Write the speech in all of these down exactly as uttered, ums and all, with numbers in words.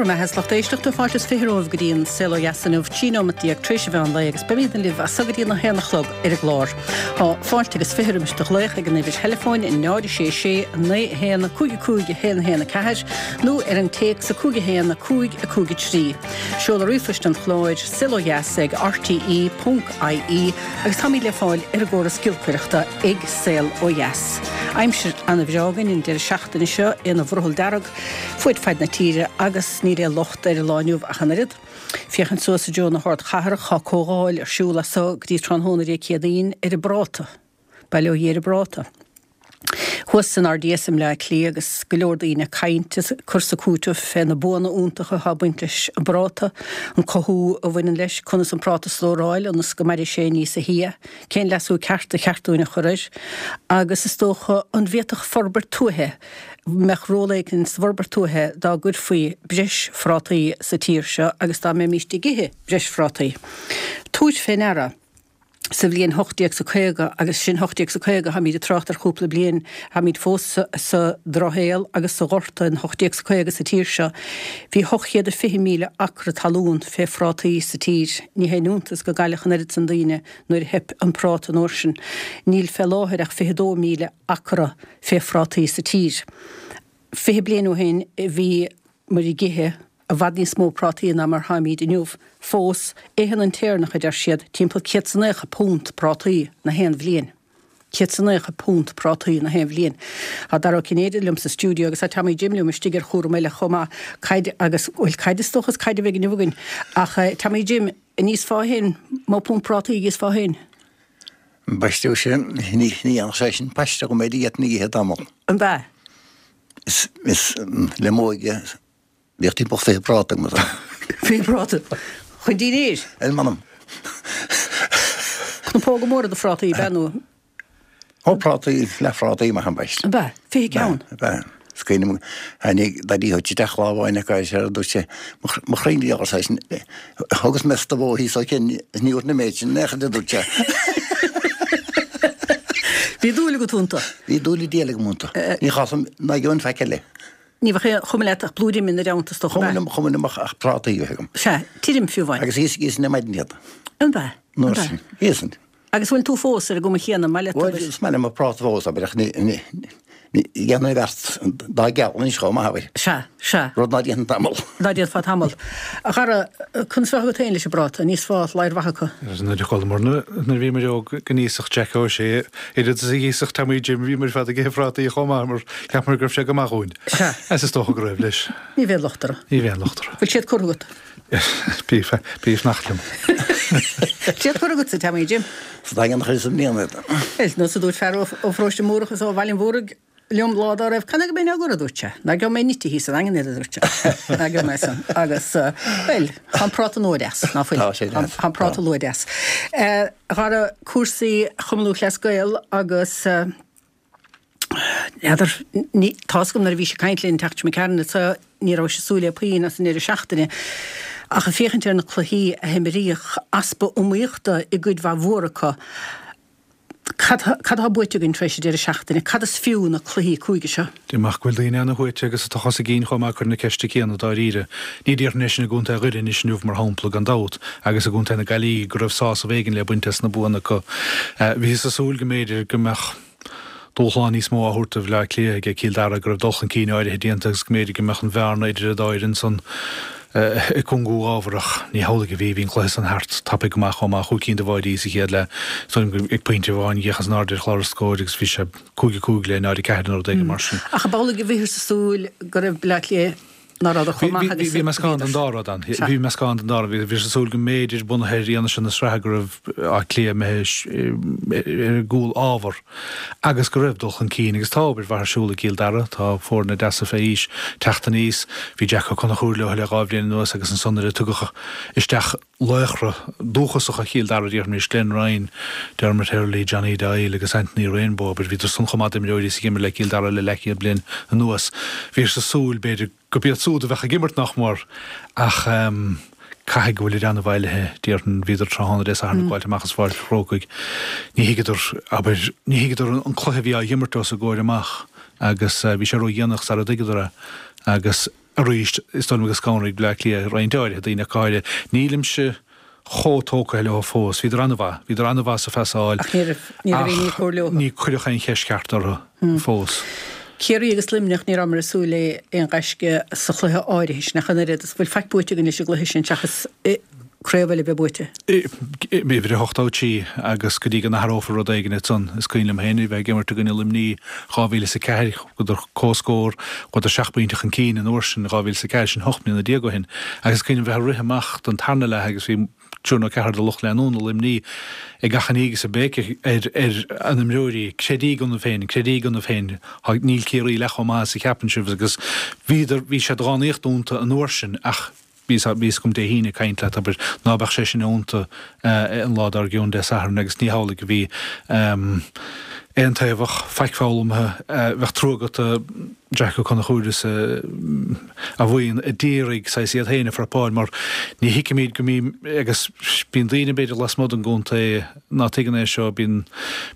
Bhur mbeatha is lucht éisteachta fáilte is fiche romhaibh go dtí an Saol Ó Dheas inniu, trí nóimeat déag tar éis an mheán lae agus beimid libh as so go dtí an haon a chlog ar an gclár. Tá fáilte agus fiche roimis do ghlaoch ag an uimhir theileafóin náid a sé sé naoi a haon cúig a cúig a haon a haon a ceathair nó ar an téacs a cúig a haon a cúig a cúig a trí. Seoladh ríomhphoist an chláir, saol ó dheas ag rte ponc ie agus táimid le fáil ar an gcóras giolcaireachta ag Saol Ó Dheas. Aimsir ana-bhreá againn an deireadh seachtaine seo ina bhrothall dearg fuaid faid na tíre agus níl aon locht ar an lá inniu ach an oiread. Féachaint suas i dtreo na hardchathrach, tá comhdháil ar siúl as so go dtí tráthnóna Dé Céadaoin ar an bpráta. Bail ó Dhia ar an bpráta. Thuas san R D S i mBleá Cliath agus go leor daoine ag caint is ag cur 's ag cúiteamh fé na buanna iontacha atá ag baint leis an bpráta, an cothú a bhaineann leis, conas an práta a stóráil ionas go mairfidh sé níosa shia, cén leasú ceart a cheart dúinn a chur air agus is dócha an bhféadfadh forbairt tuaithe, mbeadh ról éigin sa bhforbairt tuaithe dá gcuirfí breis phrátaí sa tír seo agus dá mbeimíst ag ithe breis phrátaí. Tabhairt fé ndeara. Sa bhliain hocht déag 's a caoga, agus sin hocht déag 's a caoga, táimid ag trácht ar chúpla bliain, táimid fós sa drochshaol agus sa ghorta in hocht déag 's a caoga sa tír seo, bhí hocht chéad a fiche míle acra talún fé phrátaí sa tír. Ní haon iontas go gcailleadh an oiread san daoine nuair a theip an práta an uair sin. Níl fé láthair ach fiche dó míle acra fé phrátaí sa tír. Fiche bliain ó shin bhí muid ag ithe i bhfad níos mó prátaí ná mar tháimíd inniu. Fós, itheann an tÉireannach, a deir siad, timpeall céad 's a naocha punt prátaí na haon bhliain. Céad 's a naocha punt prátaí na haon bhliain. Tá Dara Ó Cinnéide liom sa stiúideo agus tá Tommy Jim liom istigh ar chúram eile chomh maith. Caid agus, bhuel, caid is dócha is caid a bheidh inniu againn. Ach Tommy Jim, an íosfá féin, mó punt prátaí a íosfá féin? Baisteadh sin, ní dhéanfadh sé sin paiste go mbeidh iad ina ithe tamall. An ea? Is, is le m'óige Bhíodh timpeall fiche práta agam. Fiche práta? Chun dinnéir? Ar m'anam. Cnapóga móra de phrátaí, ab ea nó? Ó, prátaí, leathphrátaí maith ambaist. Ab ea? Fiche ceann? Ab ea. Is cuimhin liom, tháinig Daidí Hutch isteach lá amháin acu agus ar dúirt sé, mo chroí ní ar seisean, thugas mé stobhó thíos ó shin, ní fhuair na méid sin in aon chor, a dúirt sé. Bhí dúil agat iontu? Bhí dúil an diabhail agam iontu. Ní chasfainn ná gheobhainn faic eile. Ní bheadh aon chuma leat ach blúire im ina dteannta is dócha, ab ea? Chuma liom, chuma liom ach prátaí a bheith agam. Sea, tirim fiú amháin. Agus íosfainn ar maidin iad. An ea? An ea? Íosfainn. Agus bhfuil tú fós ar an gcuma chéanna, maith leat Bhuel, is maith liom an práta fós, abair, ach ní, ní, ní dhéanfainn beart dá gceal anois chomh maith, abair. Sea, sea. Rud ná déanfainn tamall. Ná déanfá tamall. A Dhara, conas a bheadh agat féin leis an bpráta? An íosfá ladhar mhaith acu? Nuair a chualamar, nuair a bhíomar óg go n-íosfadh Jack Ó Sé oiread is a dh'íosfadh Tommy Jim, bhíomar ar fad ag ithe phrátaí chomh maith mar cheapamar go raibh sé go maith dhúinn. Sea. Is is dócha go raibh leis. Ní bheadh locht orthu. Ní bheadh locht orthu. Bhfuil siad curtha agat? Bí bí fanacht liom. Bhfuil siad curtha agatsa, Tommy Jim? Sa Daingean a chuireas i mbliana iad. Is nós a dúirt fear ó pharóiste Múrach is ó Bhaile an Mhúraigh liom lá dá raibh, Canathaobh go mbeinn á gcur, a dúirt sé. Ná gheobhaidh mé nite thíos sa Daingean iad, a dúirt sé. Ná gheobhaidh mé san. Agus, bhuel, tá an práta nua deas, ná fuil? Tá sé deas. Tá an práta nua deas. A Dhara, cúrsaí Chumann Lúthchleas Gael agus, n'fheadar, ní, tá's agam nuair a bhís ag caint linn an tseachtain seo imigh tharainn anso, ní rabhais ag súil le puinn as an ndeireadh seachtaine. Ach ag féachaint ar na cluichí a himríodh, easpa iomaíochta i gcuid mhaith mhór acu. Cad cad atá buaite againn tar éis an deireadh seachtaine? Cad is fiú na cluichí cúige seo? Deirim ach go bhfuil daoine ana-shuaite agus atá os a gcionn chomh maith ag cur na ceiste céanna dáiríre. Ní déarfainn é sin i gContae Dhoire anois inniu, mar shampla, gan dabht, agus i gContae na Gaillimhe go raibh sásamh éigin le baint as na buanna acu. Bhíothas ag súil go mb'fhéidir go mbeadh dúshlán níos mó á thabhairt do Bhaile Átha Cliath ag Cill Dara, go raibh dul chun cinn áirithe déanta agus go mb'fhéidir go mbeadh an bhearna idir an dá fhoireann san ag cúngú ábharach. Ní hamhlaidh a bhí, bhí an cluiche san thart tapaidh go maith chomh maith, chúig cinn de bháidí sa chéad leath. Is dóigh liom gur ag pointe amháin d'fhéachas in airde ar chlár an scóir agus bhí sé cúig a cúig le náid a ceathair nó rud éigin mar sin. Ach ab amhlaidh a bhíothas ag súil go raibh Baile Átha Cliath ná rabhadar chomh maith agus Bhí meascán den dá rud ann. Bhí meascán den dá rud. Bhíothas ag súil go mb'fhéidir, bunaithe ar fhianaise na sraithe, go raibh Áth Cliath imithe ar a gcúl ábhar agus go raibh dul chun cinn agus tá obair mhaith ar siúl i gCill Dara. Tá foirne deasa fé aois teacht aníos. Bhí Jack Ó Conchúir leo le dhá bhliain anuas agus ansan nuair a tugadh isteach laochra dúchasacha Chill Dara, déarfaimis, Glenn Ryan, Dermot Hurley, Johnny Doyle agus Anthony Rainbow, abair, bhíodar san chomh maith d'imreoirí is a d'imir le Cill Dara le leathchéad bliain anuas. Bhíothas ag súil, b'fhéidir, gurb iad súd a bheadh ag imirt, nach mór, ach caithfidh go bhfuilid an-bhailithe, déarfainn. Bhíodar tráthnóna Dé Sathairn ag gabháilt amach as Pháirc an Chrócaigh. Ní thuigeadar, abair, ní thuigeadar an cluiche a bhí á imirt os a gcomhair amach agus bhí sé ródhéanach sara dtuigeadar é agus, Arís, is dóigh liom go scanraigh Bleá Cliath roinnt áirithe daoine ach go háirithe. Nílimse chomh tógtha leo fós. Bhíodar an-mhaith. Bhíodar an-mhaith sa phasáil. Ach ní raibh ní raibh aon ní cóir leo. Ní cuireadh aon cheist cheart orthu fós. Ciarraí agus Luimneach, ní rabhamar ag súil le aon ghaisce sa chluiche áirithe sin ach an oiread. Is bhfuil faic buaite againn leis an gcluiche sin seachas craobh eile a bheith buaite? Uimhir a hocht ó trí agus go dtí go n-athrófar rud éigin ansan, is cuimhin liom féin a bheith ag imirt i gcoinne Luimní dhá mhíle is a ceathair, chuadar comhscór, chuadar seacht bpointe chun cinn an uair sin, dhá mhíle is a ceathair, sin hocht mbliana déag ó shin, agus is cuimhin liom bheith ag rith amach don tarna leath agus bhí triúr nó ceathrar de lucht leanúna Luimní ag achainí agus ag béiceadh ar ar a n-imreoirí, Creidíg ionaibh féin, creidíg ionaibh féin, níl Ciarraí leath chomh maith is a cheapann sibh agus bhíodar, bhí sé drámaíocht iontu an uair sin ach bhí a fhios agam Dé hAoine ag caint leat, abair, ná beadh sé sin iontu an lá dár gcionn, Dé Sathairn, agus ní hamhlaidh a bhí. Aontaobhach, faic foghlamtha, bheadh trua agat do Jack Ó Conchúir is a bhuíon a d'iarraidh saghas iad féin a phrapáil mar ní thuigimid go mbíonn, agus bíonn daoine b'fhéidir lasmuigh den gcontae ná tuigeann é seo, bíonn,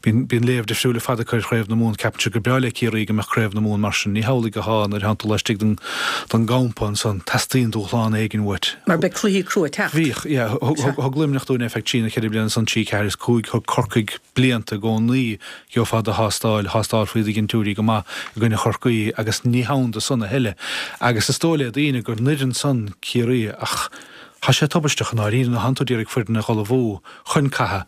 bíonn, bíonn léamh difriúil ar fad acu ar Chraobh na Mumhan, ceapann siad gur breá le Ciarraí go mbeadh Craobh na Mumhan mar sin, ní hamhlaidh atá nuair a thánn tú laistigh den, den gcampa ansan, teastaíonn dúshlán éigin uait. Mar beidh cluichí crua ag teacht. Bhíodh, yeah, thug, thug, thug Luimneach dúinn ar feadh trí nó ceithre bliana ansan, trí, ceathair is cúig, thug Corcaigh blianta i gcónaí, gheofá do thástáil, thástáilfaí do dhintiúirí go maith i gcoinne Chorcaí agus ní hann do san a thuilleadh. Agus is dóigh le daoine gur an fhoireann san Ciarraí ach tá sé tubaisteach i ndáiríre nuair thánn tú d'iarraidh foireann a dh'ullmhú chun catha.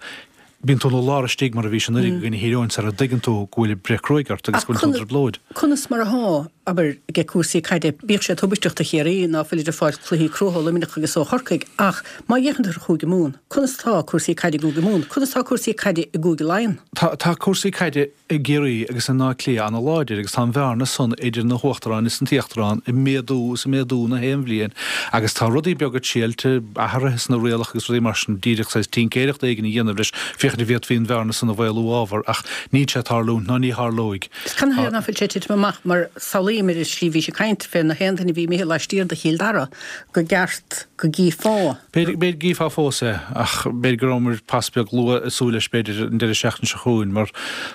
Bíonn tú ina lár istigh mar a bhís anuraidh i gcoinne Thír Eoghain sara dtuigeann tú go bhfuil breith cruaidh ort agus Ach go bhfuil tú i dtrioblóid. Conas mar athá, abair, aige cúrsaí caide, bíodh sé tubaisteach do Chiarraí ná fuilid ag fáil cluichí cruaidh ó Luimneach agus ó Chorcaigh ach má fhéachann tú ar Chúige Mumhan, conas atá cúrsaí caide i gCúige Mumhan? Conas atá cúrsaí caide i gCúige Laighean? Tá, tá cúrsaí caide i gCiarraí agus in Áth Cliath ana-láidir agus tá an bhearna san idir na huachtaráin is an t-íochtarán ag méadú is ag méadú na haon bhliain agus tá rudaí beaga triailte, athruithe sna rialacha agus rudaí mar sin, díreach saghas tincéireacht éigin a dhéanamh leis féachaint an bhféadfaí an bhearna san a mhaolú ábhar ach níl sé ag tarlúint ná ní tharlóidh. Is canathaobh ná fuil sé ag titim amach mar samhlaím ar an slí bhís ag caint fé na haon duine a bhí imithe laistiar de Chill Dara go gceart go gcífeá. B'fhéidir go gcífeá fós é, ach b'fhéidir go rabhamar pas beag luath ag súil leis b'fhéidir an deireadh seachtaine seo chugainn, mar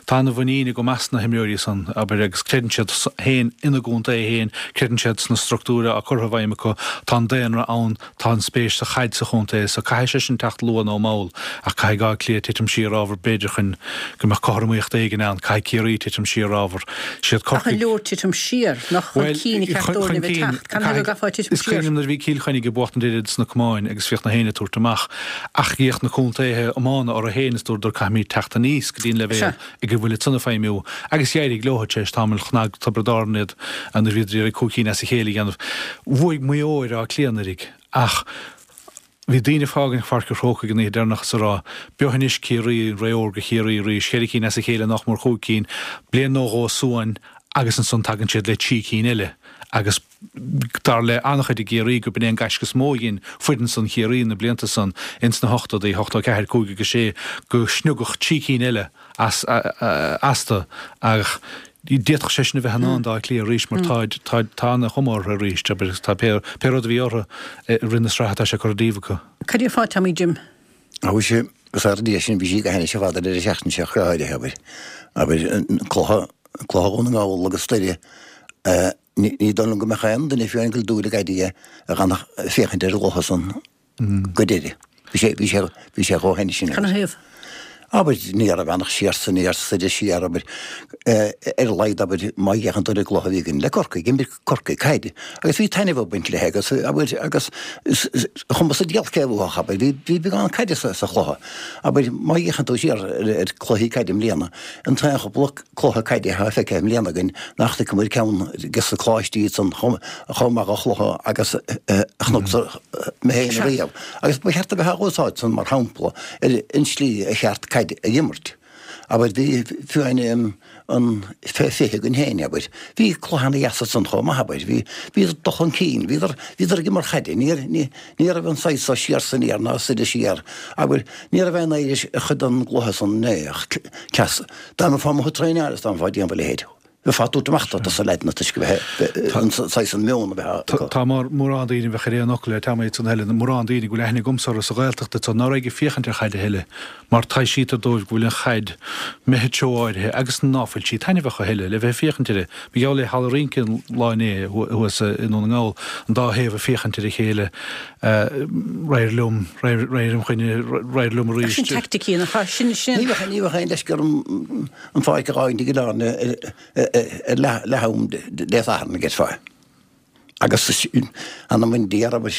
tá ana-mhuinín agam as na himreoirí san, abair, agus creideann siad féin ina gcontae féin, creideann siad sna struchtúir atá curtha i bhfeidhm acu, tá an daonra ann, tá an spéis sa chaid sa chontae, so caithfidh sé sin teacht luath nó mall, ach caithfidh Áth Cliath titim siar ábhar b'fhéidir chun go mbeadh cothromaíocht éigin ann, caithfidh Ciarraí titim siar ábhar. Siad Ach an Corcaigh. leor titim siar, nach chun Bhuel, cinn a cheart chun dóibh a bheith cinn, teacht? Canathaobh go gcaithfeá titim Is siar? cuimhin liom nuair a bhí Cill Chainnigh ag buachtaint oiread sna camáin agus bhíodh na héinne ag tabhairt amach ach bhíodh na contaetha iomána orthu féin is dúradar caithfimid teacht aníos go dtí an leibhéal Sea. ag a bhfuil iad san ag feidhmiú agus d'éirigh leo tar éis tamaill chnag Tiobraid Árann iad nuair a bhíodar ag iarraidh cúig cinn as a chéile a dhéanamh. Bhuaigh Maigh Eo ar Áth Cliath anuraidh ach bhí daoine ag fágaint Pháirc an Chrócaigh an oíche deireanach is ag rá, B'eo anois Ciarraí, an ré órga Chiarraí arís, ceithre cinn as a chéile nach mór chúig cinn, bliain nó dhó suain agus ansan tagann siad le trí cinn eile agus dar le an-chuid i gCiarraí go b'in é an gaisce is mó a dhein foireann san Chiarraí na blianta san ins na hochtóidí, ochtó ceathair, cúig agus sé, go sniogadh trí cinn eile as astu ach d'fhéadfadh sé sin a bheith i ndán d'Áth Cliath arís mar táid, táid, tá ana-chuma orthu arís, abair, agus tá pé, pé rud a bhí orthu i rith na sraithe tá sé curtha díobh acu. Cad é fá Tommy Jim? Á bhí sé, agus ar an sin bhí sí go hainnis ar fad an deireadh seachtaine seo go háirithe, abair, abair, cluiche, cluiche Dhún na nGall agus Doire, ní, ní dóigh liom go mbeadh aon duine fiú amháin ag goil dúil i gcaidé a dh'fhanfadh féachaint ar an gcluiche san go deireadh. Bhí sé, bhí sé, bhí sé chomh hainnis sin. Canathaobh? Abair, ní raibh ann ach siar 's aniar soir is siar, abair, ar a laghad, abair, má fhéachann tú ar an gcluiche a bhí againn le Corcaigh, d'imir Corcaigh caid agus bhí taitneamh ag baint léi agus, abair, agus chuma sa diabhal cé a bhuafadh, abair, bhí, bhí beagán caide sa, sa chluiche. Abair, má fhéachann tú siar ar, ar cluichí caide i mbliana, an t-aon chúpla cluiche caide atá feicthe i mbliana againn nach bhfeicimid ceann des na coláistí iad san chomh, chomh maith de chluiche agus a chonacsa mé féin riamh. Agus ba cheart a bheith á úsáid san mar shampla ar an slí a cheart caid a imirt. Abair, bhí fiú amháin an fé fiche againn féin, abair, bhí cluiche ana-dheas ansan chomh maith, abair, bhí, bhíodar dul chun cinn, bhíodar, bhíodar ag imirt chaide, ní, ní, ní raibh an saghas so siar 's aniar ná soir is siar, abair, ní raibh aon éirí as chuid den gcluiche san inné ach cleas, dá mbeifeá amuigh ag traenáil is dá mbeifeá ag déanamh a leithéid. Bheifeá ag tabhairt amach do na leaideanna toisc go bheith an saghas an meon a bheith acu. Tá mórán daoine a bheadh ar aon fhocal le Tommy ansan a Helen, mórán daoine go bhfuil aithne agamsa orthu sa Ghaeltacht ansan ná raibh ag féachaint ar chaid a thuilleadh mar taibhsítear dóibh go bhfuil an chaid imithe treo áirithe agus ná fuil sí taitneamhach a thuilleadh le bheith ag féachaint uirthi. Mar gheall le halla rince an lá inné thuas i nDún na nGall, an dá thaobh ag féachaint ar a chéile, raghair liom, raghair im choinne, raghair liom arís. Sin teaicticí nach ea? Sin, sin. Ní bheadh, ní bheadh aon leisce orm an pháirc a dh'fhágaint ag oileán ar leath-am Dé Sathairn, a déarfá. Agus anam an Dia, abair,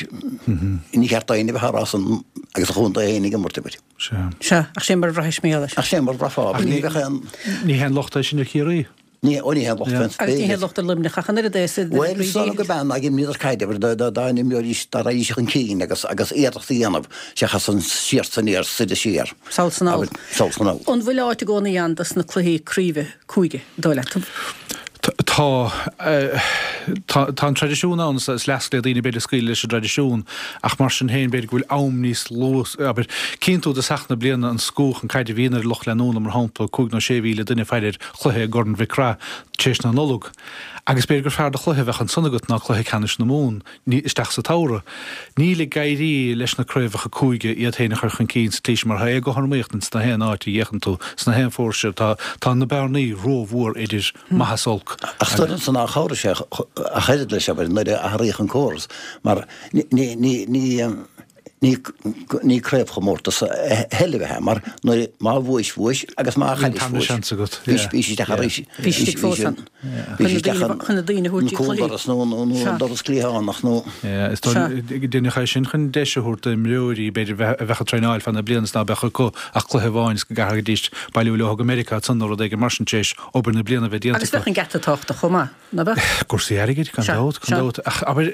ní cheart d'éinne a bheith á rá san agus a chontae féin ag imirt, abair. Sea. Sea, ach sé mar a bhraithis mé leis. Ach sé mar a bhraithfeá, abair, ní bheadh aon. Ní haon locht é sin ar Chiarraí. Ní, ó ní haon locht féin. Agus ní haon locht ar Luimneach ach an oiread é is. Bhuel, is dóigh liom go bean ag imríodar caid, abair, dá n-imreoidís, dá raghaidís chun cinn agus agus iarracht a dhéanamh seachas an siar 's aniar, soir is siar. Sall 's anall. Sall 's anall. An bhfuil áit i gcónaí ann dos na cluichí craoibhe cúige, an dóigh leat? Tá. Tá an traidisiún ann, is leasc le daoine b'fhéidir scaoileadh leis an dtraidisiún, ach mar sin féin b'fhéidir go bhfuil am níos lú, abair, cíonn tú i dtosach na bliana an scuab chun caide a bhíonn ar lucht leanúna, mar shampla, cúig nó sé mhíle duine ag faire ar chluiche i gCorn Mhic Craith tar éis na Nollag. Agus b'fhéidir gur fearr do chluiche a bheadh ansan agat ná cluiche ceannais na Mumhan isteach sa tsamhradh. Níl ag éirí leis na craobhacha cúige iad féin a chur chun cinn sa tslí sin mar tá éagothromaíocht ins na haon áit a bhféachann tú, sna haon phóirse. Tá tá na bearnaí rómhór idir maith is olc. Ach is dóigh liomsa nár chabhraigh sé ach oiread leis, abair, nuair a athraíodh an córas mar ní ní ní Ní ní craobhchomórtas a thuilleadh a bheith ann mar nuair má bhuais bhuais agus má Bhí an chaillis tarna bhuais. seans agat. Bhí Yeah. bhí sí isteach arís. Bhí sí istigh fós ann. Bhí Chun sí na isteach daoine an chun na daoine a thabhairt an dtí cluichí. cúldoras nó nó nó Sea. an doras cliathánach nó. Yeah, is Sea. dóigh deineadh é sin chun deis a thabhairt d'imreoirí b'fhéidir bheith a bheadh ag traenáil feadh na bliana is ná beadh acu ach cluiche amháin is go gcaithfidís bailiú leo go Meiriceá ansan nó rud éigin mar sin tar éis obair na bliana bheith déanta Agus acu. bheadh an geata tábhachtach chomh maith, ná beadh? Cúrsaí airgid, gan Sea, dabht, gan sea. dabht. Ach abair,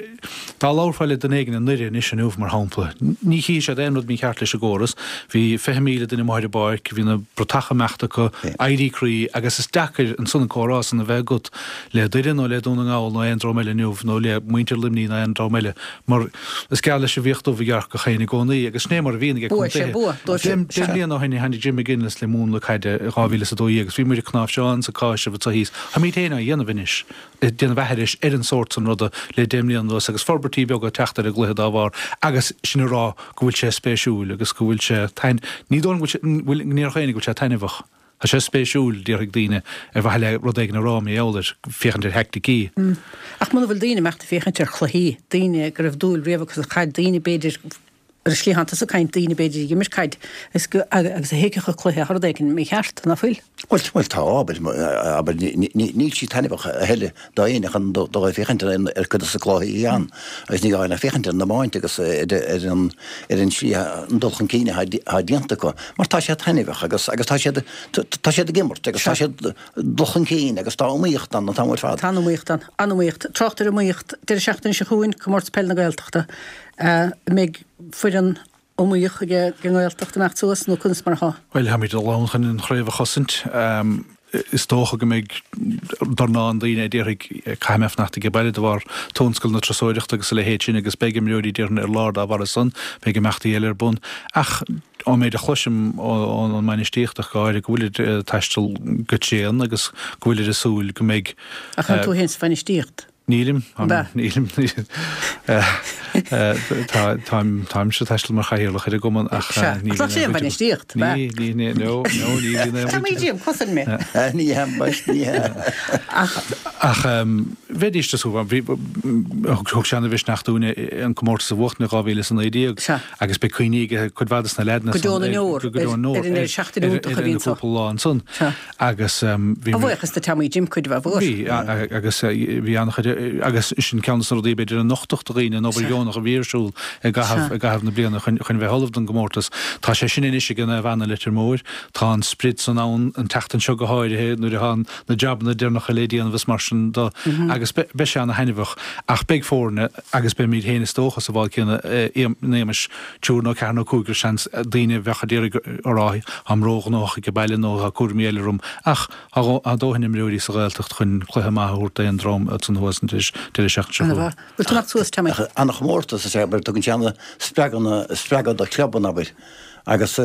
dá labharfá le duine éigin i nDoire anois inniu, mar shampla, ní chífidh siad aon rud mícheart leis an gcóras. Bhí fiche míle duine amuigh ar an bpáirc, bhí na bratacha ag imeacht acu, éirí croí, agus is deacair ansan an comhrá san a bheith agat le Doire nó le Dún na nGall nó aon dream eile inniu, nó le muintir Luimnigh nó aon dream eile, mar is geall leis an bhfiach dubh a ghearrcach féin i gcónaí, agus sin é mar a bhíonn ag Bua, sé contaetha. bua, dóibh Deich sin, deich sea. mbliana ó shin tháinig Jim McGuinness le múnla caide i dhá mhíle is a dó dhéag agus bhí muid ag cnáimhseán is ag cáiseamh anso thíos. Táimid féin á dhéanamh anois. ag déanamh aithris ar an sórt san ruda le deich mbliana anuas agus forbairtí beaga ag teacht ar an gcluiche dá bharr agus sin a rá go bhfuil sé spéisiúil agus go bhfuil sé tain ní dóigh liom go bhfuil sé bhfuil ní déarfadh éinne go bhfuil sé taitneamhach. Tá sé spéisiúil, déarfaidh daoine, ar mhaithe le rud éigin a rá mar gheall air, féachaint ar theaicticí. Ach muna bhfuil daoine ag imeacht ag féachaint ar chluichí, daoine go raibh dúil riamh acu sa chaid, daoine b'fhéidir, Ar an slí atánn tusa ag caint, daoine b'fhéidir ag imirt caid agus agus a thuigfeadh an cluiche tá rud éigin mícheart, ná fuil? Bhuel, bhuel tá, abair, abair, níl sí taitneamhach a thuilleadh d'éinne chun dul ag féachaint ar cuid de na cluichí ann agus ní gá ach féachaint ar an iomáint agus ar an ar an slí an dul chun cinn atá déanta acu mar tá sé taitneamhach agus agus tá siad tá siad ag imirt agus tá siad dul chun cinn agus tá iomaíocht ann an t-am ar fad. Tá an iomaíocht ann, an-iomaíocht. Trácht ar iomaíocht, deireadh seachtaine seo chugainn, Comórtas Peile na Gaeltachta. An mbeidh foireann iomaíoch ag an nGaeltacht ag imeacht suas nó conas mar atá? Bhuel, táimid dul ann chun an chraobh a chosaint. Is dócha go mbeidh dornán daoine a déarfaidh caithfidh mé fanacht age baile de bharr tionscal na turasóireachta agus a leithéid sin agus beidh imreoirí déarfainn ar lár dá bharr san, beidh imeachtaí eile ar bun. Ach ón méid a chloisim ón mbainistíocht ach go háirithe go bhfuilid ag taisteal go tréan agus go bhfuilid ag súil go mbeidh Ach an tú féin sa bhainistíocht? Nílim, An ea? nílim. Táimse ag taisteal mar chathaoirleach ar an gcumann ach Sea, níl ach nach sé an bhainistíocht, ab ea? Ní, ní, ní, no, no, ní bhíonn aon Tá mé bhaint. díom, cosain mé. Ní hea, bois, ní hea. Ach. Ach bheidís ag súil, bhí, thug sé ana-mhisneach dúinne an comórtas a bhuachtain i dhá mhíle is a naoi déag Sea. agus beidh cuimhní ag cuid mhaith de na leaideanna Go deo na san, ndeor, go deo na ndeor, ar an deireadh seachtaine iontach a ar bhí na anso. cúpla lá ansan. Sea. Agus bhí A mé. bhuíochas do Tommy Jim cuid mhaith mhór. Bhí, agus bhí an-chuid, agus sin ceann de na rudaí b'fhéidir a nochtadh do dhaoine, an obair dheonach a bhí ar siúl i gcaitheamh, i gcaitheamh na bliana chun, chun bheith ullamh don gcomórtas. Tá sé sin anois ag Naomh Anna Leitir Móir. Tá an sprid san ann an tseachtain seo go háirithe nuair atá na jabanna deireanacha le déanamh is mar sin de agus beidh sé ana-thaitneamhach. Ach beidh foirne agus beimid féin is dócha sa bhád céanna in éagmais triúr nó ceathair nó cúigear seans daoine a bheadh a d'iarraidh a rá táim róghnóthach ag baile nó tá cúraimí eile orm ach tá dóthain imreoirí sa Ghaeltacht chun cluiche maith a thabhairt d'aon dream ansan thuas an deireadh seachtaine seo chugainn. Ana-mhaith. Bhfuil tú ag imeacht suas, Tommy? Ana-chomórtas is ea, abair, tugann sé ana spreagadh, spreagadh do chlubanna, abair, Agus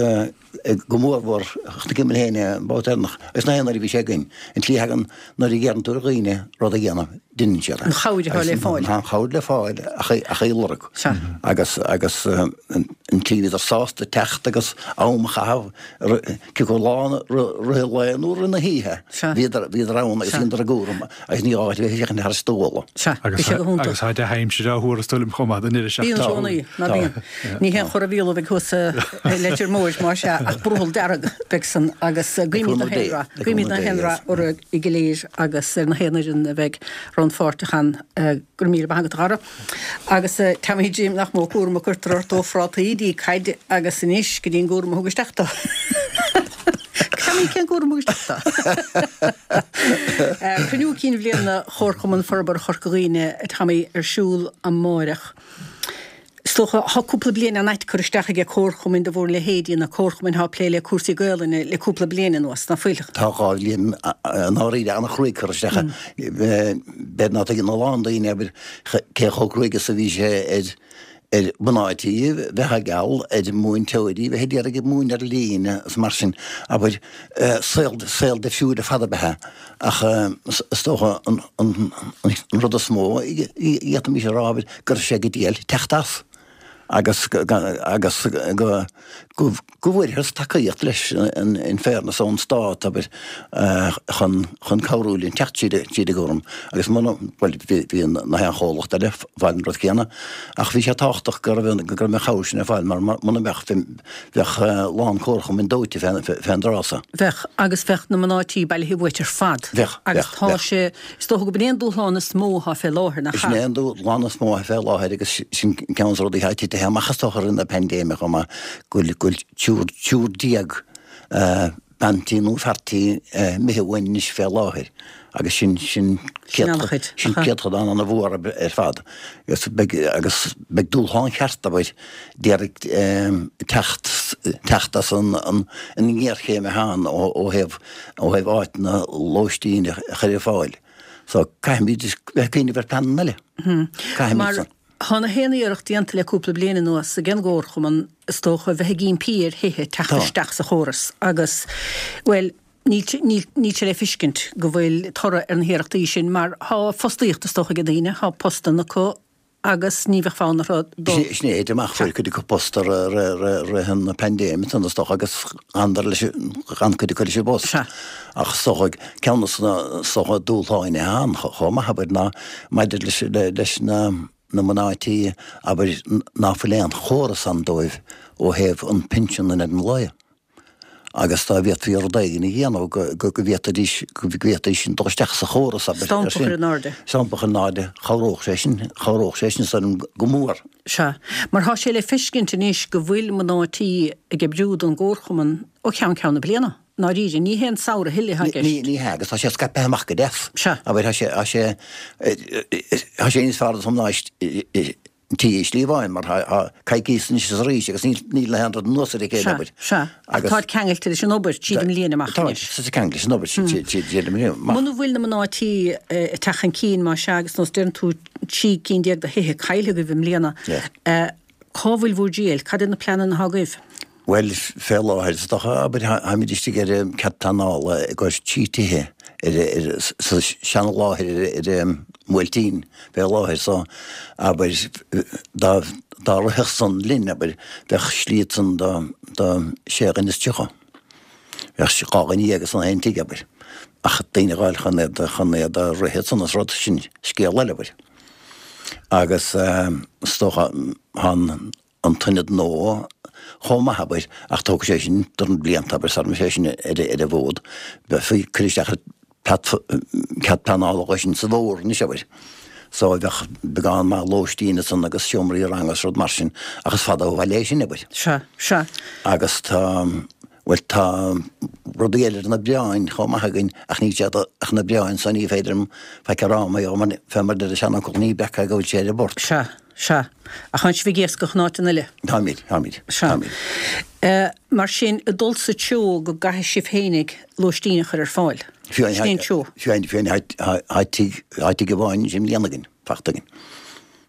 go mórmhór chonaic mé féin é an babhta deireanach agus na haon uair a bhí sé againn, an tslí a thagann nuair a dheireann tú ar dhaoine rud a dhéanamh, deineann siad é. An chabhair atá le fáil. Tá an chabhair le fáil ach ach í a lorg. Sea. Agus agus an tslí a bhíodar sásta teacht agus am a chaitheamh, cé acu lá rith an lae nó rith na hoíche, bhíodar bhíodar ann agus dheineadar a gcúram agus ní gá duit a bheith ag féachaint thar stól. Sea, bhí sé go hiontach. Agus tá dea-aimsir á thuar is dóigh liom chomh maith don deireadh Bíonn i gcónaí, ná bíonn. Ní haon chor a mhíola a bheidh thuas i Leitir Móir, más ea, ach brothall dearg beidh san agus guímid na haon rath, guímid na haon rath oraibh go léir agus ar na haon fhoireann a bheidh rannpháirteach ann. Go raibh míle maith agat a Dhara. Agus Tommy Jim, nach mó cúram a cuirtear ort ó phrátaí dtí caid agus anois go dtí an gcúram a thug isteach tú. Tommy, cén cúram a thug isteach tú? Cruinniú Cinn Bhliana Chomharchumann Forbartha Chorca Dhuibhne, Tommy, ar siúl amáireach. Is dócha, thá cúpla bliain an-ait curtha isteach aige comharchumainn de bharr leithéidí na comharchumainn thá ag plé le cúrsaí Gaolainne le cúpla bliain anuas, ná fuil? Tá dhá bhliain i ndáiríre an-chruaidh curtha isteach. B'fhéidir ná tuigeann a lán daoine, abair, cé chomh cruaidh is a bhí sé ar ar mhná tí bheith ag gabháil, ar mhúinteoirí bheith ag iarraidh múineadh ar líne is mar sin, abair, saol saol difriúil ar fad ab ea é. Ach is dócha an an rud is mó a d'fhéadfaimis a rá, abair, go raibh sé go diail teacht as. agus agus go go bhfuarthas tacaíocht leis in fairness ón stát, abair, chun chun cabhrú linn teacht tríd tríd an gcúram agus muna, bhuel, bhí bhí na haon chomhlacht eile ag fáil an rud céanna ach bhí sé tábhachtach go raibh go raibh an chabhair sin ar fáil mar muna mbeadh bheadh a lán comharchumainn dóite fén fén dtráth so. Bheadh, agus bheadh na mná tí bailithe uait ar fad. Bheadh, Agus bheadh, tá bheadh. sé, is dócha go b'in é an dúshlán is mó atá fé láthair, nach Sin ea? é an dúshlán is mó atá fé láthair agus sin ceann de na rudaí atá titithe amach is dócha i rith na paindéime chomh maith, go bhfuil triúr, triúr déag bean tí nó fear tí imithe uainn anois fé láthair agus sin, sin Sin an-chuid, sin aha. céatadán an-mhór ar fad agus beidh, agus beidh dúshlán cheart, abair, d'iarraidh teacht, teacht as an, an, an ngéarchéim atá ann ó, ó thaobh, ó thaobh áiteanna lóistín a chur ar fáil. So caithfimid bheith ag cuimhneamh ar pleananna eile. Caithfimid Mar san. tá na haon iarracht déanta le cúpla bliain anuas ag an gComharchumann, is dócha, bheith ag impí ar thithe teacht Tá. isteach sa chóras agus, bhuel, níl, níl, níl sé le feiscint go bhfuil toradh ar na hiarrachtaí sin mar tá fostaíocht is dócha ag daoine, tá postanna acu agus ní bheadh fonn orthu dul. Sin é, amach fuair cuid acu post i rith na paindéime ansan is dócha agus d'fhanadar leis, d'fhan cuid acu leis an bpost. Sea. Ach is dócha ceann de na is dócha dúshláin atá ann chomh maith abair ná maidir leis leis na na mná tí abair ná fuil aon chóras ann dóibh ó thaobh an pinsean in ar an lae. Agus dá bhféadfaí rud éigin a dhéanamh go go bhféadfaidís go bhféadfaidís sin dul isteach sa chóras abair Stampa a chur in airde. Stampa a chur in airde, chabhródh sé sin, chabhródh sé sin san go mór. Sea. Mar tá sé le feiscint anois go bhfuil mná tí ag oibriú don gComharchumann ó cheann ceann na bliana. I ndáiríre, ní hé an samhradh a thuilleadh atá i Ní gceist. ní hea, agus tá sé scaipthe amach go deas. Sea. Abair, tá sé tá sé tá sé níos fearr do mhná tí i Sliabh mar tá coicís anois is arís agus níl na haon rud anuas ar a chéile Sea, abair. sea. Ach Agus táid ceangailte leis an obair tríd an mbliain amach Tá anois. tá ceangailte leis an obair tríd an mbliain amach. Muna bhfuil na mná tí ag teacht chun cinn, más ea, agus nós deireann tú trí cinn déag de thithe caillte agaibh i mbliana, Yeah. cá bhfuil bhur dtriall? Cad iad na pleananna atá agaibh? Bhuel, fé láthair, is dócha, abair, táimid istigh ar cead pleanála i gcomhair trí tithe ar, ar, sa seana-láthair ar, ar Bhuailtín fé láthair so, abair, dá, dá rithfeadh san linn, abair, bheadh slí ansan do, do sé dhuine is tríocha. Bheadh dhá dhuine dhéag san aon tigh, abair. Ach daoine a dh'fháil chun iad, chun iad a rith ansan is rud, sin scéal eile, abair. Agus, is dócha, tá an, an t-ionad nua chomh maith, abair, ach tógfaidh sé sin dorn blianta, abair, sara mbeidh sé sin ar ar an bhfód. Bheifí ag cur isteach ar cead pleanála dhó sin sa bhfómhar anois, abair. So bheadh beagán maith lóistín ansan agus seomraí ranga is rud mar sin, ach is fada ó bhaile é sin, abair. Sea, sea. Agus tá, bhuel, tá rudaí eile ar na bioráin chomh maith againn ach níl siad ach na bioráin so ní féidir liom faic a rá mar gheall, fé mar deir an seanfhocal, ní breac é go bhfuil sé ar an bport. Sea. Sea. Ach tánn sibh ag iascach in áiteanna eile. Táimid, táimid, Sea. táimid. Mar sin, ag dul sa treo go gcaithfidh sibh fhéinig lóistín a chur ar fáil. Fiú Sin é an treo. Fiú amháin, tá tigh, tá tigh amháin anois i mbliana againn, fachta againn.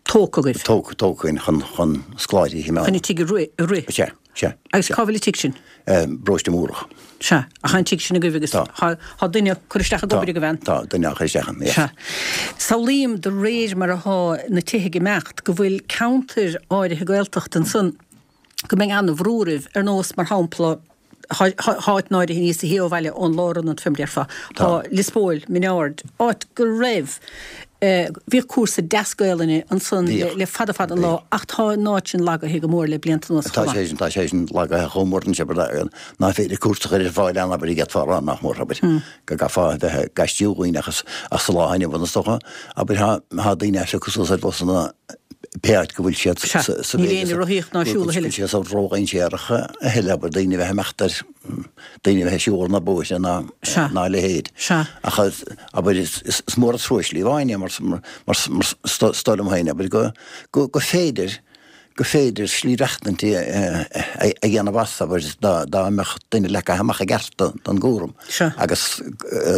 Tógtha agaibh. Tógtha, tógtha againn chun, chun scoláirí a choimeád. Chun an tigh a rith, a rith. Sea, Sea. Agus cá bhfuil an tigh sin? Paróiste Múrach. Sea, ach an tigh sin agaibh agus Tá. tá duine ag cur isteach ag obair agaibh ann? Tá, duine á chur isteach ann, yes. Sea. Samhlaím de réir mar atá na tithe ag imeacht go bhfuil ceantair áirithe Gaeltachta ansan go mbeidh an-bhrú oraibh, ar nós, mar shampla, háit áirithe níos sia ó bhaile ón lárionad fé mar a déarfá. Tá Lios Póil, Mín Aird, áit go raibh, bhíodh cúrsa deas Gaelainne ansan le fada fada an lá ach tá an áit sin lagaithe go mór le blianta anuas chomh maith. Tá sé sin, tá sé sin lagaithe chomh mór anois nach féidir cúrsa a chur ar fáil ann abair d'fhéadfá a rá nach mór abair go gcaithfeá a bheith ag aistriú dhaoine ach sa lá inniu is dócha abair tá daoine á phiocadh suas ar bhusanna pé áit go bhfuil siad sa Níl éinne ag rothaíocht ná ag siúl a thuilleadh. Go bhfuil siad ródhainséarach a thuilleadh abair daoine a bheith ag imeacht ar daoine a bheith ag siúl ar na bóithre ná ná a leithéid. Ach abair is mór an trua slí amháin é mar mar is dóigh liom féin abair go go go féidir go féidir slí bheachtaint a dhéanamh as abair dá dá mbeadh duine leagtha amach i gceart don gcúram agus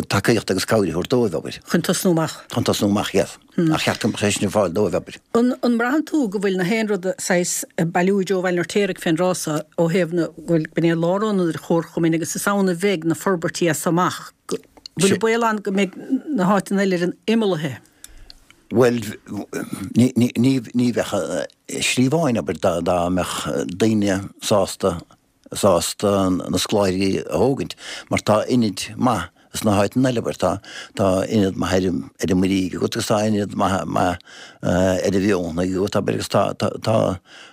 tacaíocht agus cabhair a thabhairt dóibh abair. Chun tosnú amach. Chun tosnú amach, yes. Ar cheart go mbeadh sé sin ar fáil dóibh, abair. An mbraitheann tú go bhfuil na haon rud saghas ag bailiú i dtreo Bhaile an Fheirtéaraigh fén dtráth so ó thaobh na, go bhfuil, b'in é lárionad an chomharchumainn agus is ann a bheidh na forbairtí as so amach, go bhfuil baol ann go mbeidh na háiteanna eile ar an imeall? Bhuel, ní, ní, ní, ní bheadh slí amháin, abair, dá, dá mbeadh daoine sásta, sásta na scoláirí a thógaint mar tá ionaid maith sna háiteanna eile, abair, tá, tá ionad maith ar an, ar an Muirígh agat agus tá ionad maith, maith ar an Mhionlaigh agat, abair, agus tá, tá, tá,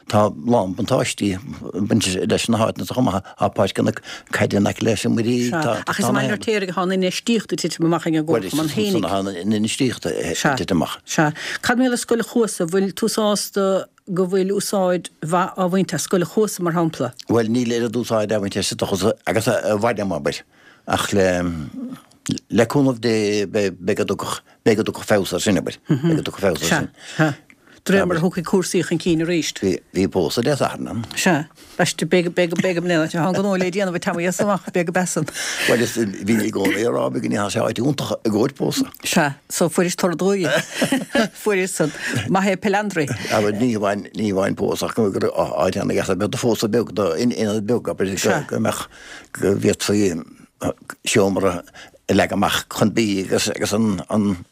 tá lán buntáistí ag baint leis na háiteanna so chomh maith, tá páirc na caide in aice leis an Muirígh, tá, tá, Ach is i mBaile an Fheirtéaraigh atá an infheistíocht ag titim amach ag an gComharchumann féinig. Bhuel, is ansan atá an infheistíocht ag titim amach. Sea. Cad mar gheall ar Scoil an Chuasa, bhfuil tú sásta go bhfuil úsáid mhaith á bhaint as Scoil an Chuasa, mar shampla? Bhuel, níl oiread úsáid á bhaint as agus a bhain am, abair, ach le le cúnamh Dé beidh go dtiocfadh beidh go dtiocfadh feabhas air sin, abair, beidh go dtiocfadh feabhas air sin. Sea, sea. De réir mar a thiocfaidh cúrsaí chun cinn arís. Bhí bhí pósadh Dé Sathairn ann. Sea. Baiste, beidh beidh beidh go mbliana, tá an gnó le déanamh ag Tommy as amach, beidh go beasan. Bhuel, is bhí i gcónaí ag rá go ndéanfadh sé áit iontach i gcomhair pósadh. Sea, so fuairis toradh dóigh. Fuairis san. Maith é Pelandri. Abair, ní hamháin, ní hamháin pósadh ach go raibh áit ana-dheas ar bith do phósadh beag, do ionad beag, abair, go mbeadh, go bhféadfaí seomra a leagan amach chun bídh agus, agus an, an,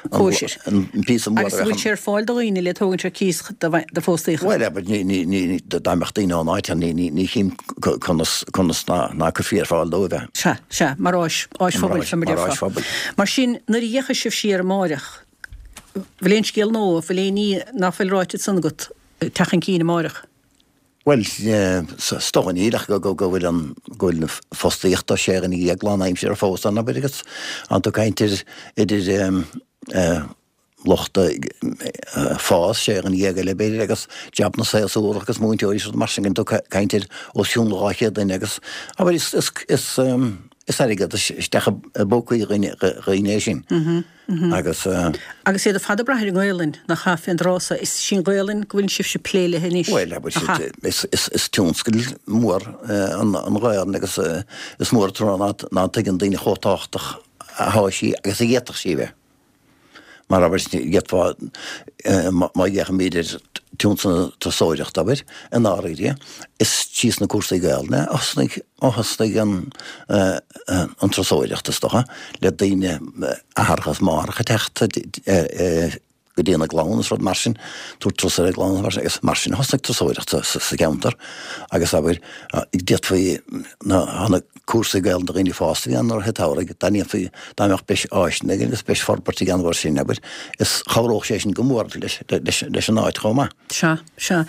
Cóisir. an píosa mór Agus bhfuil sé ar fáil do dhaoine le tógaint ar cíos do phóstaíocha? Bhuel, abair, ní, ní, ní, dá mbeadh daoine ón áit ann, ní, ní, ní chím conas, conas ná, ná cuirfí ar fáil dóibh é. Sea, sea, mar áis, áis phobail, fé mar Mar áis déarfá. phobail. Mar sin, nuair a fhéachfaidh sibh siar amáireach, bhfuil aon scéal nua, bhfuil aon ní ná fuil ráite ansan agat ag teacht chun cinn amáireach? Bhuel, is dócha níl ach go bhfuil an, go bhfuil fostaíocht do sé dhuine dhéag lánaimseartha fós ann, abair, agus tá tú ag caint ar idir lucht fás, sé dhuine dhéag eile b'fhéidir, agus jabanna séasúrach agus múinteoirí is rud mar sin, tá tú ag caint ar os cionn dhá chéad duine agus, abair, is, is, is, is airgead isteach i bpócaí dhaoine é sin. Agus. Agus iad ar fad ag brath ar an nGaelainn, nach ea, fén dtráth so. Is sí an Ghaelainn go bhfuil sibhse ag plé léi anois, Bhuel, abair, nach ea? is tionscal mór an Ghaelainn agus is mór an trua ná tuigeann daoine chomh tábhachtach atá sí agus a d'fhéadfadh sí a bheith. Mar, abair, d'fhéadfá, má fhéachaimid ar tionscal na turasóireachta, abair, i ndáiríre, is trí sna cúrsaí Gaelainne a thosnaigh, a thosnaigh an, an turasóireacht, is dócha, le daoine, athracha is máithreacha ag teacht go dtí na gclann is rud mar sin, tabhairt turas ar a gclann is mar sin, agus mar sin a thosnaigh turasóireacht sa cheantar agus, abair, d'fhéadfaí na, na cúrsaí Gaelainne do dhaoine fásta a bhí ann i rith an tsamhraidh, dá ndéanfaí, dá mbeadh breis áiseanna againn agus breis forbairt a dhéanamh air sin, abair, is chabhródh sé sin go mór leis, leis, leis an áit chomh maith. Sea, sea.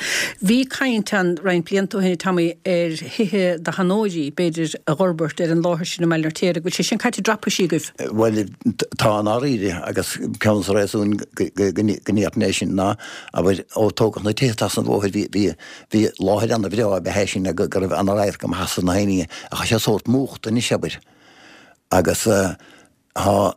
Bhí caint ann roinnt blianta ó shin, a Tommy, ar thithe do sheanóirí, b'fhéidir, a dh'fhorbairt ar an láthair sin i mBaile an Fheirtéaraigh. Bhfuil sé sin caite i dtraipisí agaibh? Bhuel, tá i ndáiríre, agus ceann de na réasúin go, go, go ndéarfainn é sin ná, abair, ó tógadh na tithe trasna an bhóthair, bhí, bhí, bhí láthair ana-bhreá ab ea é sin go raibh ana-radharc amach as na haon ní, ach tá sé sórt múchta anois, abair, agus tá, tá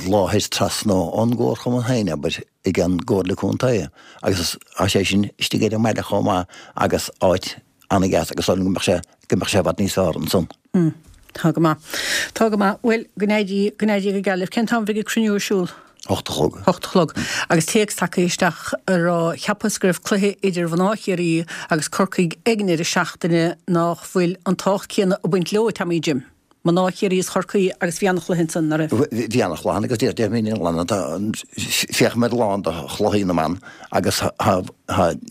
láthair trasna ón gComharchumann féin, abair, ag an gComhairle Contae agus tá sé sin istigh ar an mbaile chomh maith agus áit ana-dheas agus dóigh liom go mbeadh sé, go mbeadh sé i bhfad níos fearr ansan. Tá go maith. Tá go maith. Bhuel, go n-éirí, go n-éirí go geal libh. Cén t-am a bheidh an cruinniú ar siúl? Hocht a chlog. Hocht a chlog. Agus téacs tagtha isteach a rá cheapas go raibh cluiche idir mhná Chiarraí agus Corcaigh ag an deireadh seachtaine nach bhfuil an tábhacht céanna ag baint leo, Tommy Jim. Mná Chiarraí is Chorcaí agus bhí an-chluiche ansan, nach raibh? Bhí an-chluiche ann agus deir mé féachaim ar a lán de chluichí na mban agus tá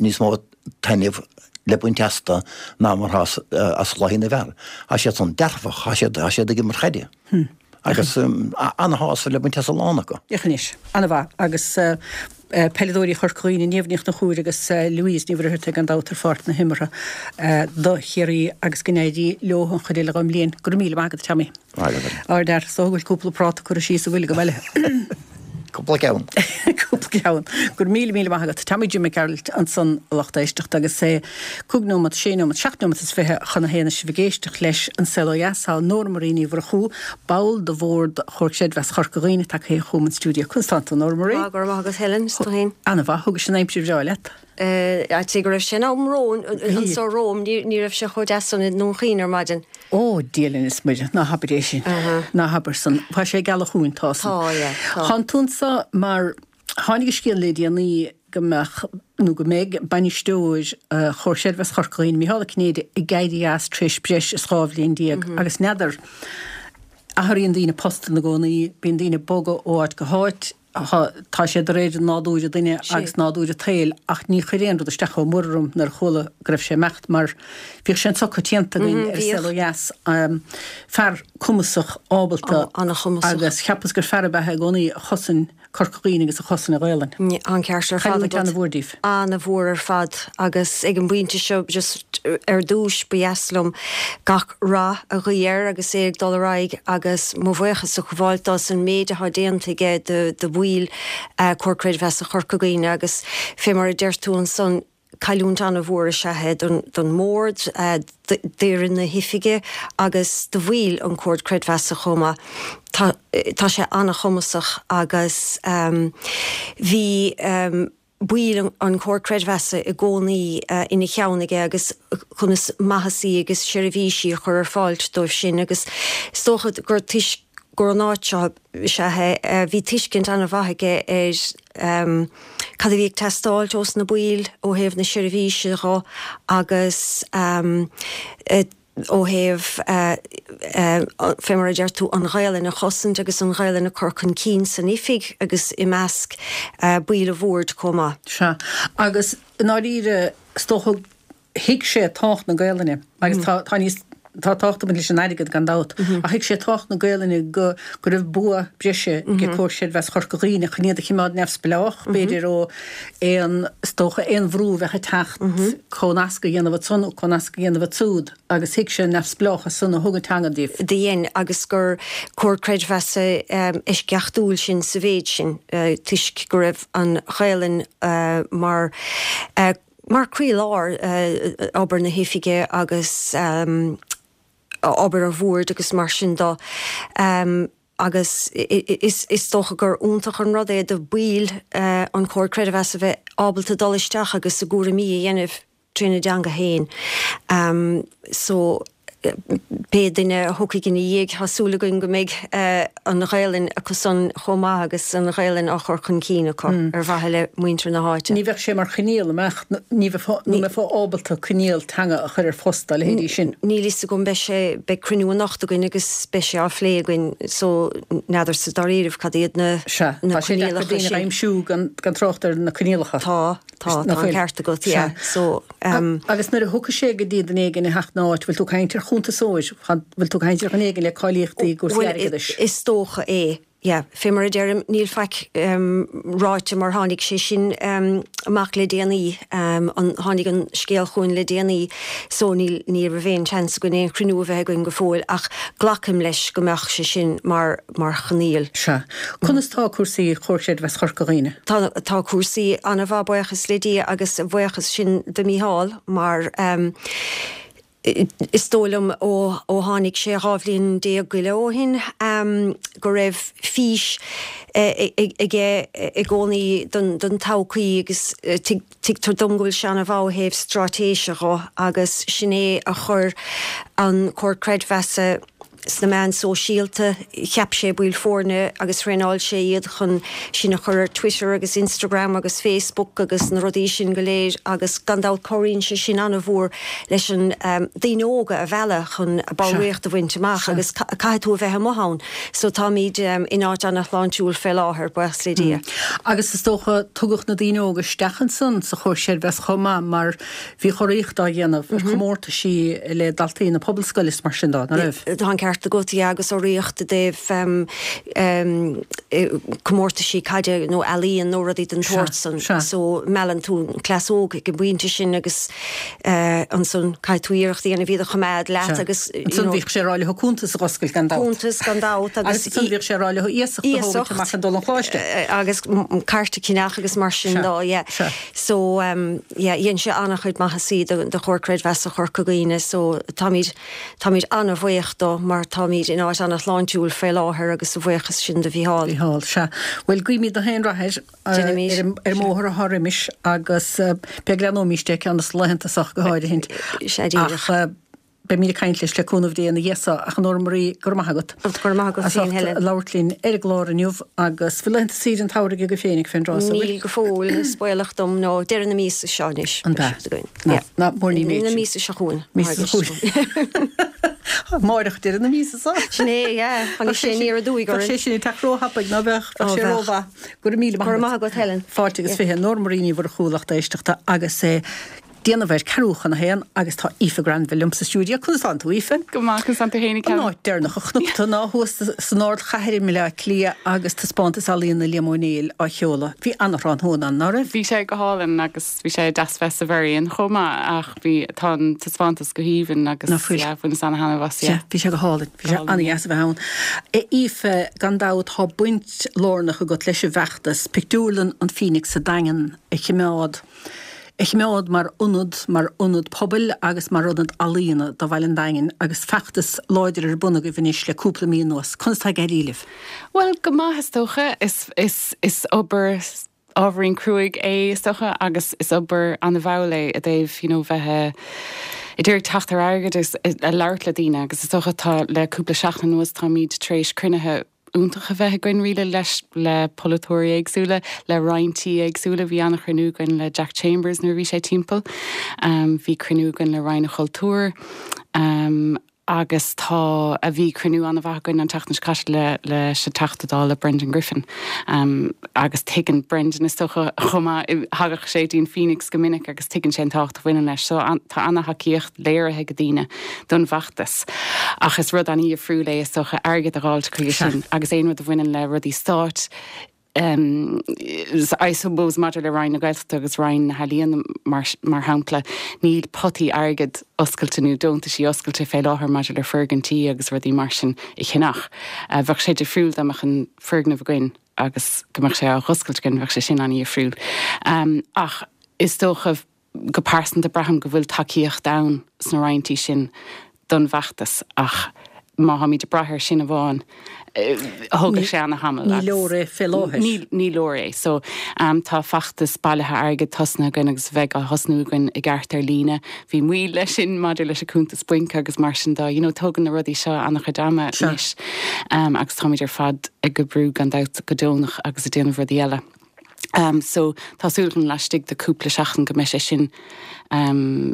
níos mó taitneamh le baint astu ná mar atá as chluichí na bhfear. Tá siad san dearfach, tá siad tá siad ag imirt caide. Agus an-shásamh le baint as a lán acu. Féach anois. An-mhaith. Agus peileadóirí Chorca Dhuibhne, Niamh Ní Chonchúir agus Louise Ní Mhuircheartaigh gan dabht ar pháirc na himeartha do Chiarraí agus go n-éirí leo an chuid eile den mbliain. Go raibh míle maith agat, Tommy. Maith agat. Ardfhear. Is dócha go bhfuil cúpla práta curtha síos sa bhfuil agam eile. Cúpla ceann. Cúpla ceann. Go raibh míle míle maith agat. Tommy Jim Mac Gearailt ansan a lucht éisteachta agus é cúig nóimeat, sé nóimeat, seacht nóimeat is fiche chun a haon is sibh ag éisteacht leis An Saol Ó Dheas. Tá Nóra Marie Ní Mhurchú, ball de bhord Chomhar Creidmheasa Chorca Dhuibhne, tagtha chugam an stiúideo. Conas tánn tú, Nóra Marie? Tá, go raibh maith agat Helen, is tú féin? Ana-mhaith, thugais an aimsir bhreá leat. Cé go raibh sé in am romham, anso romham, ní raibh sé chomh deas san i nDún Chaoin ar maidin. Ó, Dia linn is Muire, ná habair é sin. Ná habair san. Tá sé ag gealach chugainn, tá san. Tá, yeah, tá. Tánn tú anso mar tháinig an scéal le déanaí go mbeadh, nó go mbeidh, bainisteoir Chomhar Creidmheasa Chorca Dhuibhne, Micheál Ó Cinnéide, ag éirí as tar éis breis is dhá bhliain déag agus n'fheadar, athraíonn daoine post ina gcónaí, bíonn daoine ag bogadh ó áit go háit, Tá sé de réir nádúr an duine agus nádúr an tsaoil ach ní chuir aon rud isteach chomh mór orm nuair a chuala go raibh sé ag imeacht mar bhíodh sé anso coitianta againn ar An Saol Ó Dheas. Fear cumasach, ábalta agus cheapas gur fear ab ea é i gcónaí a chosain Corca Dhuibhne agus a chosain an Ghaelainn. An ceart ar fad Cailliúint agat. an-mhór daoibh. An-mhór ar fad agus ag an bpointe seo just ar dtúis ba dheas liom gach rath a ghuí air agus é ag dul ar aghaidh agus mo bhuíochas a ghabháil dó as an méid atá déanta aige do do bhaill Comhar Creidmheasa Chorca Dhuibhne agus fé mar a deir tú ansan cailliúint an-mhór is ea é don don mbord, d'fhoireann na hoifige agus do bhaill an Comhar Creidmheasa chomh maith. Tá tá sé an-chumasach agus bhí baill an Chomhar Creidmheasa i gcónaí ina cheann aige agus conas maitheasaí agus seirbhísí a chur ar fáil dóibh sin agus is dócha gur toisc gur ón áit seo is ea é bhí tuiscint an-mhaith aige ar cad a bhí ag teastáilt ós na baill ó thaobh na seirbhíse dho agus ó thaobh, fé mar a deir tú, an Ghaelainn a chosaint agus an Ghaelainn a chur chun cinn san oifig agus i measc baill an bhoird chomh maith. Sea. Agus i ndáiríre, is dócha, thuig sé tábhacht na Gaelainne agus tá, tá níos, tá tábhacht ag baint leis an airgead gan dabht, ach thuig sé tábhacht na Gaelainne go, go raibh bua breise ag Comhar Creidmheasa Chorca Dhuibhne chun iad a chimeád neamhspleách, b'fhéidir, ó aon, is dócha, aon bhrú a bheadh ag teacht comhnasc a dhéanamh ansan nó comhnasc a dhéanamh ansúd. Agus thuig sé an neamhspleáchas san a thug an teanga daoibh. Do dhein, agus gur comhar creidmheasa eisceachtúil sinn sa mhéid sin, toisc go raibh an Ghaelainn mar mar chroílár obair na hoifige agus obair an bhoird agus mar sin de. Agus is dócha gur iontach an rud é do bhaill an Chomhair Creidmheasa bheith ábalta dul isteach agus a gcúraimí a dhéanamh trína dteanga féin. So, pé duine a thiocfaidh ina dhiaidh, tá súil againn go mbeidh an Ghaelainn acusan chomh maith agus an Ghaelainn á chur chun cinn acu ar mhaithe le muintir na háite. Ní bheadh sé mar choinníoll, an mbeadh, ní bheifeá, ní mbeifeá ábalta coinníoll teanga a chur ar phost dá leithéidí sin. Níl fhios agam, beidh sé, beidh cruinniú anocht againn agus beidh sé á phlé againn so n'fheadarsa dáiríribh cad iad na, Sea, na tá sé deacair coinníollacha daoine a sin. aimsiú gan, gan trácht ar na coinníollacha. Tá. Tá, tá an ceart agat, yeah. So, um. Agus nuair a thiocfaidh sé go dtí duine éigin a theacht ina áit, bhfuil tú ag caint ar chuntasóir, bhfuil tú ag caint ar dhuine éigin le cáilíochtaí i gcúrsaí airgeadais? Bhuel, is dócha é, yeah. Fé mar a deirim, níl faic um, ráite mar tháinig sé sin um, amach le déanaí, um, an, tháinig an scéal chugainn le déanaí, so níl, ní raibh aon seans againn aon chruinniú a bheith againn go fóill, ach glacaim leis go mbeadh sé sin mar, mar choinníoll. Sea. Conas tá cúrsaí i Comhar Creidmheasa Chorca Dhuibhne? Tá, tá cúrsaí an-mhaith, buíochas le Dia, agus a bhuíochas sin do Mhícheál mar is dóigh liom ó, ó tháinig sé dhá bhliain déag go leith ó shin go raibh fís aige i gcónaí don, don todhchaí agus tuigtear dom go bhfuil sé an-mhaith ó thaobh straitéise dho agus sin é a chuir an Comhar Creidmheasa sna meáin sóisialta, cheap sé baill foirne agus thraenáil sé iad chun sinn a chur ar Twitter agus Instagram agus Facebook agus na rudaí sin go léir agus gan dabht cabhraíonn sé sin an-mhór leis an daoine óga a mhealladh chun ballraíocht a bhaint amach agus caithfidh tú a bheith amuigh ann. So táimid in áit an-shláintiúil fé láthair, buíochas le Dia. Agus is dócha tugadh na daoine óga isteach ansan sa Chomhar Creidmheasa chomh maith mar bhí urraíocht á dhéanamh ar chomórtaisí le daltaí na pobalscoile is mar sin dó, ná raibh? Tá an ceart agat, yeah, agus urraíocht i dtaobh comórtaisí caide nó ealaíon nó rudaí den tsórt san. So meallann tú an cleas óg ag an bpointe sin agus ansan caithfidh tú iarracht a dhéanamh iad a choimeád leat agus you know. Ansan bhíodh sé ag rá leo cuntas a dh'oscailt gan dabht. Cuntas gan dabht agus. Agus ansan bhíodh sé ag rá leo iasacht a thógaint amach chun dul 'on choláiste. Agus cairt a cheannach agus mar sin dó, yeah. So yeah, dhein sé an-chuid maitheasaí do do Chomhar Creidmheasa Chorca Dhuibhne so táimid táimid an-bhuíoch dó mar táimid in áit an-shláintiúil fé láthair agus a bhuíochas sin do Mhícheál. Mícheál, sea. Bhuel, guímid gach aon rath air Déanaimid. ar an ar an mbóthar atá roimis agus beidh leanóimís de ceann dos na laethanta so go háirithint. Sea, díreach. Ach beimid ag caint leis le cúnamh Dé ina dhiaidh so. Ach a Nóra Marie, go raibh maith agat. Go raibh maith agat as féin, ucht Helen. labhairt linn ar an gclár inniu agus bhfuil laethanta saoire an tsamhraidh agaibh féinig fén dtráth so, bhfuil? Níl go fóill, is baolach dom, nó deireadh na míosa seo anois. An ea? Ná, Ná, ná, mór ní méid na sin. míosa seo chugainn. Míosa seo chugainn. Amáireach deireadh na míosa so. Sin é, yeah. Tháinig sé aniar aduaidh Bheadh orainn. sé sin ag teacht róthapaidh, ná beadh? Ó, Bheadh sé bheadh. rómhaith. Go raibh míle maith Go raibh agat. maith agat, Helen. Fáilte agus fiche. Nóra Marie Ní Mhurchú, lucht éisteachta, agus eh, déanamh ar ceathrú chun a haon agus tá Aoife Granville liom sa stiúideo. Conas tánn tú, Aoife? Go maith, conas tánn tú fhéinig, An Helen? áit deireanach a chonac tú ná thuas san ardchathair i mBaile Átha Cliath agus taispeántas ealaíona Liam Ó Néill á sheoladh. Bhí an-tráthnóna ann, ná raibh? Bhí sé go hálainn agus bhí sé deas bheith sa Mherrion chomh maith ach bhí, tá an taispeántas go haoibhinn agus Ná fuil? yeah, bhaineas ana-thaitneamh as, Sea, yeah. bhí sé go hálainn. Bhí Go sé hálainn, yeah. an-dheas a bheith ann. A Aoife, gan dabht tá baint lárnach agat leis an bhfeachtas Pictiúrlann an Phoenix sa Daingean a choimeád. a choimeád mar ionad, mar ionad pobail agus mar ionad ealaíona do bhaile an Daingin agus feachtas láidir ar bun agaibh anois le cúpla mí anuas. Conas tá ag éirí libh? Bhuel, go maith is dócha. Is, is, is obair ábhairín cruaidh é is dócha agus is obair an-mhall é i dtaobh, you know, bheith ag iarraidh teacht ar airgead agus ag labhairt le daoine agus is dócha tá le cúpla seachtain anuas táimid tar éis cruinnithe iontach a bheith againn really leis le polaiteoirí éagsúla, le roinntí éagsúla. Bhí an-chruinniú againn le Jack Chambers nuair a bhí sé timpeall. Bhí cruinniú againn le Roinn an Chultúir agus tá a bhí cruinniú an-mhaith againn an tseachtain seo caite le leis an Teachta Dála Brendan Griffin agus tuigeann Brendan is dócha chomh maith, thagadh sé dtí'n Phoenix go minic agus tuigeann sé an tábhacht a bhaineann leis. So tá an-thacaíocht léirithe ag daoine don bhfeachtas. Ach is rud an-dhifriúil é is dócha airgead a dh'fháilt chuige sin agus aon rud a bhaineann le rudaí stáit, I suppose maidir le Roinn na Gaeltachta agus Roinn na hEalaíon mar mar shampla, níl potaí airgid oscailte nó deontaisí oscailte fé láthair maidir le foirgintí agus rudaí mar sin a cheannach. Bheadh sé difriúil dá mbeadh an foirgneamh againn agus go mbeadh sé á dh'oscailt againn, bheadh sé sin an-dhifriúil. Ach is dócha go pearsanta braithim go bhfuil tacaíocht ann sna roinntí sin don bhfeachtas ach má tháimid ag brath air sin amháin thógfadh sé ana-thamall Ní leor é fé láthair. Ní ní leor é. So tá feachtas bailithe airgid tosnaithe againn agus bheidh á thosnú againn i gceart ar líne. Bhí moill leis sin maidir leis an cuntas bainc agus mar sin de. You know tógann na rudaí seo ana-chuid ama anois agus táimid ar fad ag oibriú gan dabht go deonach agus ag déanamh rudaí eile. Um, so tá súil agam laistigh de cúpla seachtain go mbeidh sé sin um,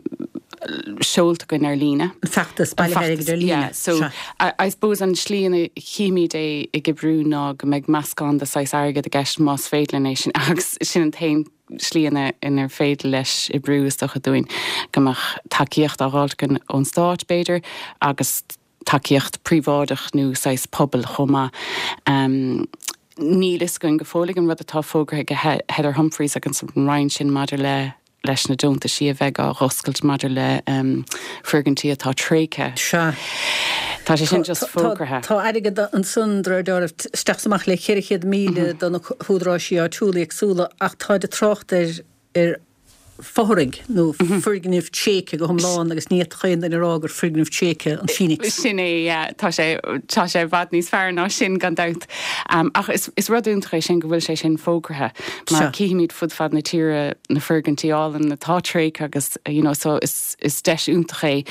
seolta againn ar líne. An feachtas bailithe airgid ar líne. Yeah, so I, I suppose an slí ina chímid é ag oibriú ná go mbeidh meascán de saghas airgead i gceist más féidir linn é sin agus sin an t-aon slí ina inar féidir leis oibriú is dócha dúinn go mbeadh tacaíocht á dh'fháilt againn ón stát b'fhéidir agus tacaíocht príobháideach nó saghas pobail chomh maith. Um, Níl fhios againn go fóill ag an rud atá fógartha ag Heather Humphreys agus an Roinn sin maidir le leis na deontaisí a bheidh á dh'oscailt maidir le foirgintí atá tréigthe. Sea. Tá sé sin just fógartha. Tá airgead ansan de réir dealraimh, isteach is amach le ceithre chéad míle do na húdaráisí áitiúla éagsúla ach táid ag trácht ar ar fothraigh nó foirgneamh tréigthe go hiomlán agus ní fhéadfadh aon duine a rá gur foirgneamh tréigthe an Phoenix. Sin é, yeah. Tá sé, tá sé i bhfad níos fearr ná sin gan dabht. Ach is, is rud iontach é sin go bhfuil sé sin fógraithe mar cífimid fud fad na tíre na foirgintí álainn atá tréigthe agus you know so is, is deis iontach é.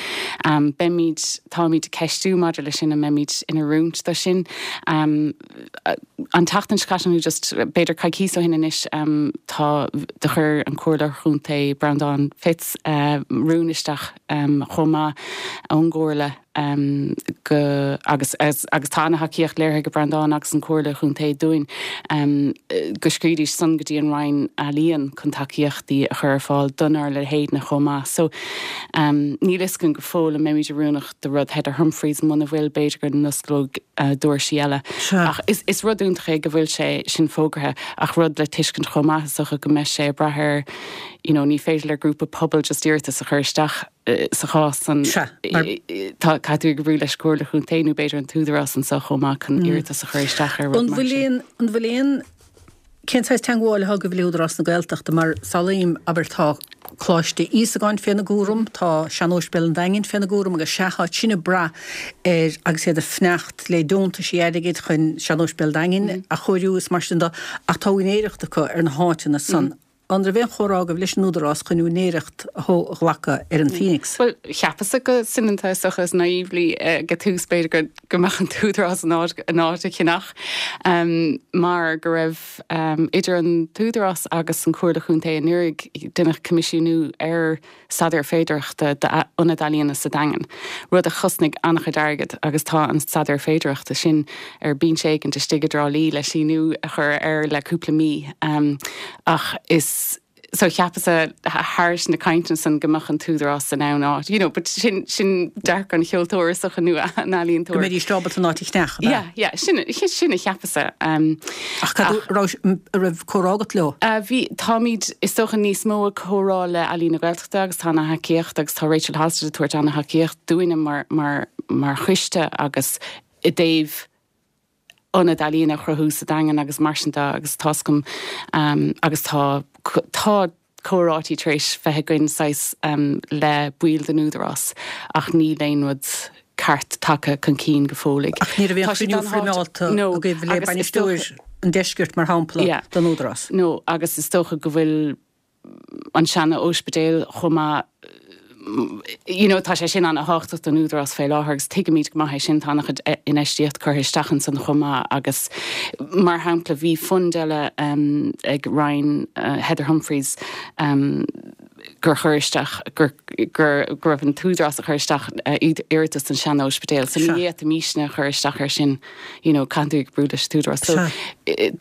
Beimid, táimid ag ceistiú maidir leis sin an mbeimid in oiriúint do sin. An tseachtain seo caite nó just b'fhéidir coicís ó shin anois tá do chuir an Comhairleoir Chontae Breandán Fitz rún isteach chomh maith ón gComhairle go agus agus tá ana-thacaíocht léirithe ag Breandán agus an Chomhairle Chontae dúinn go scríobhaidís san go dtí an Roinn Ealaíon chun tacaíochtaí a chur ar fáil donár leithéidne chomh maith. So níl fhios againn go fóill an mbeimid oiriúnach do rud Heather Humphreys muna bhfuil b'fhéidir go n-osclódh doirsí eile. Ach is is rud iontach é go bhfuil sé sin fógraithe ach rud le tuiscint chomh maith is dócha go mbeidh sé ag brath ar you know ní féidir le grúpa pobail just iarratas a chur isteach sa chás san tá caithfidh tú oibriú leis an Chomhairle Chontae nó b'fhéidir an tÚdarás anseo chomh maith chun iarratas a chur isteach ar rud mar sin. An bhfuil aon Cén saghas teagmháil atá agaibh le Údarás na Gaeltachta mar samhlaím, abair, tá Coláiste Íosagáin féna gcúram, tá Sean-Óispidéal an Daingin féna gcúram agus sea, tá sin ag brath ar agus iad ag fanacht le deontaisí airgid chun Sean-Óispidéal an Daingin a chóiriú is mar sin de ach tá úinéireacht acu ar na háiteanna san. An raibh aon chomhrá agaibh leis an Údarás chun úinéireacht a ghlacadh ar an Phoenix? Bhuel, cheapas-sa go soineanta is dócha is naively ag tús b'fhéidir go go mbeadh an tÚdarás in áit in áit a cheannach mar go raibh idir an tÚdarás agus an Chomhairle Chontae anuraidh deineadh coimisiúnú ar staidéar féidearthachta d'ionad ealaíona sa Daingean, rud a chosnaigh an-chuid airgid agus tá an staidéar féidearthachta sin ar binse éigin istigh i dTrá Lí le síniú a chur air le cúpla mí. Ach is so cheapas-sa thairis na cainteanna san go mbeadh an tÚdarás in ann áit, you know, but sin sin dearcadh an cheoltóra is dócha nó an ealaíontóra. Go mbeidís ábalta an áit a cheannach, ab ea? Yeah, yeah, sin sin a cheapas-sa. Ach cad raibh raibh comhrá agat leo? Bhí, táimid is dócha níos mó ag comhrá le Ealaín na Gaeltachta agus tá ana-thacaíocht agus tá Rachel Halstead ag tabhairt ana-thacaíocht dúinne mar mar mar choiste agus i dtaobh ionad ealaíon a chruthú sa Daingean agus mar sin de agus tá's agam agus tá tá comhráití tar éis bheith againn saghas le baill den Údarás ach níl aon rud ceart tagtha chun cinn go fóill. Ach ní raibh aon chruinniú foirmeálta agaibh le bainisteoir an deiscirt mar shampla den Údarás? No, agus is dócha go bhfuil an seana-óispidéal chomh maith you know, tá sé sin ana-thábhachtach don Údarás fé láthair agus tuigimid go maith é sin, tá an-chuid infheistíocht curtha isteach ansan chomh maith agus mar shampla bhí fund eile um, ag Roinn uh, Heather Humphreys um, gur chuir isteach gur gur go raibh an tÚdarás a chur isteach uh, iarratas don sean-óispidéal so ní fhéadfaimisne a chur isteach ar sin you know, caithfidh tú oibriú leis an tÚdarás so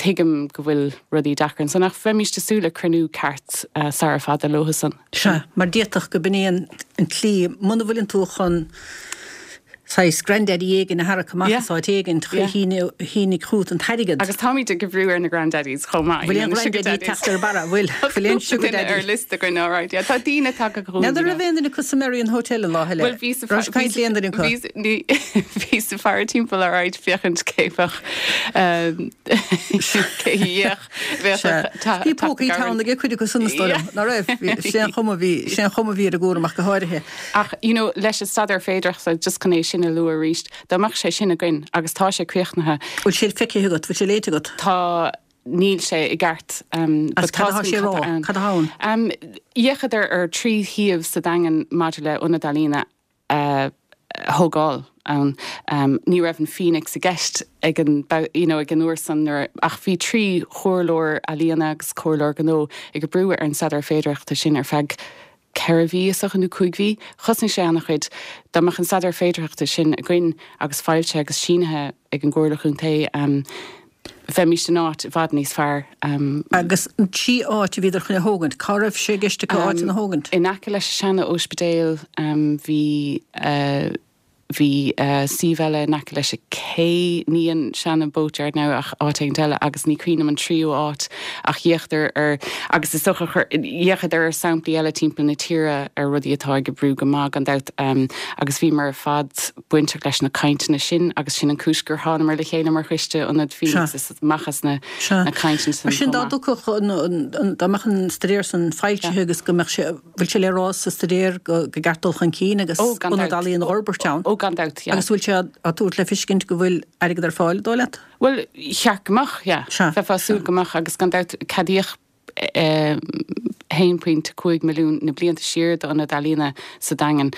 tuigim go bhfuil rudaí deacair ansan ach bheimís ag súil le cruinniú ceart uh, sara fada leo san. Sea, mar d'fhéadfadh go b'in é an an tslí muna bhfuileann tú chun saghas granddaddy éigin a tharrac amach as áit éigin shínigh chugat an t-airgead. Agus táimid ag brú ar na granddaddies chomh maith. Bhfuil aon granddaddy ag teacht ar barra, bhfuil? Bhfuil aon sugar daddy? ar liosta againn, all right. Yeah, tá daoine tagtha chugainn. N'fheadar raibh aon duine acu sa Merrion Hotel an lá eile? Bhuel, bhí sa Raibh caint le aon duine acu? Bhí sa faire timpeall ar right féachaint cé bheadh cé bheadh Bhí pócaí teann ag cuid acu san is dóigh liom, ná raibh? Sé an chuma bhí, sé an chuma bhí ar an gcúram ach go háirithe. Ach, you know, leis an staidéar féidearthachta, just chun é sin a lua arís, dá mbeadh sé sin againn agus tá sé críochnaithe. Bhfuil sé feicthe agat, bhfuil sé léite agat? Tá, níl sé i gceart. Um, Agus cad atá sé a rá? Cad atá ann? Um, D'fhéachadar ar trí shuíomh sa Daingean maidir le ionad ealaíne a thógáil ann. Um, ní raibh an Phoenix i gceist ag an, you know, ag an uair san nuair, ach bhí trí chomhairleoir ealaíona agus comhairleoir gnó ag oibriú ar an staidéar féidearthachta sin ar feadh ceithre mhí is dócha nó cúig mhí. Chosnaigh sé an-chuid. Dá mbeadh an staidéar féidearthachta sin againn agus foilsithe agus sínithe ag an gComhairle Chontae, um, bheimís in áit i bhfad níos fearr. Um, Agus an trí áit a bhíodar chun a thógaint, cá raibh sé i gceist acu áiteanna a thógaint? In aice leis an seana-óispidéal um, bhí uh, Bhí suíomh eile in aice leis an cé, ní an seana boatyard now ach áit éigin eile agus ní cuimhin liom an tríú áit ach d'fhéachadar ar agus is dócha chur d'fhéachadar ar samplaí eile timpeall na tíre ar rudaí atá ag oibriú go maith gan dabht agus bhíomar ar fad bainteach leis na cainteanna sin agus sin an cúis gur thánamar le chéile mar choiste Ionad Phoenix is amach as na na cainteanna sin. Mar sin dá dtiocfadh dá mbeadh an staidéar san foilsithe agus go mbeadh sé bhfuil sé le rá sa staidéar go gceart dul chun cinn agus ionad ealaíon a fhorbairt ann. Ó gan dabht, yeah. Agus bhfuil sé á tabhairt le feiscint go bhfuil airgead ar fáil, dóigh leat? Bhuel, cheart go mbeadh, yeah. Bheifeá ag súil go mbeadh agus gan dabht ceadaíodh haon pointe cúig milliún na blianta siar d'ionad ealaíona sa Daingean.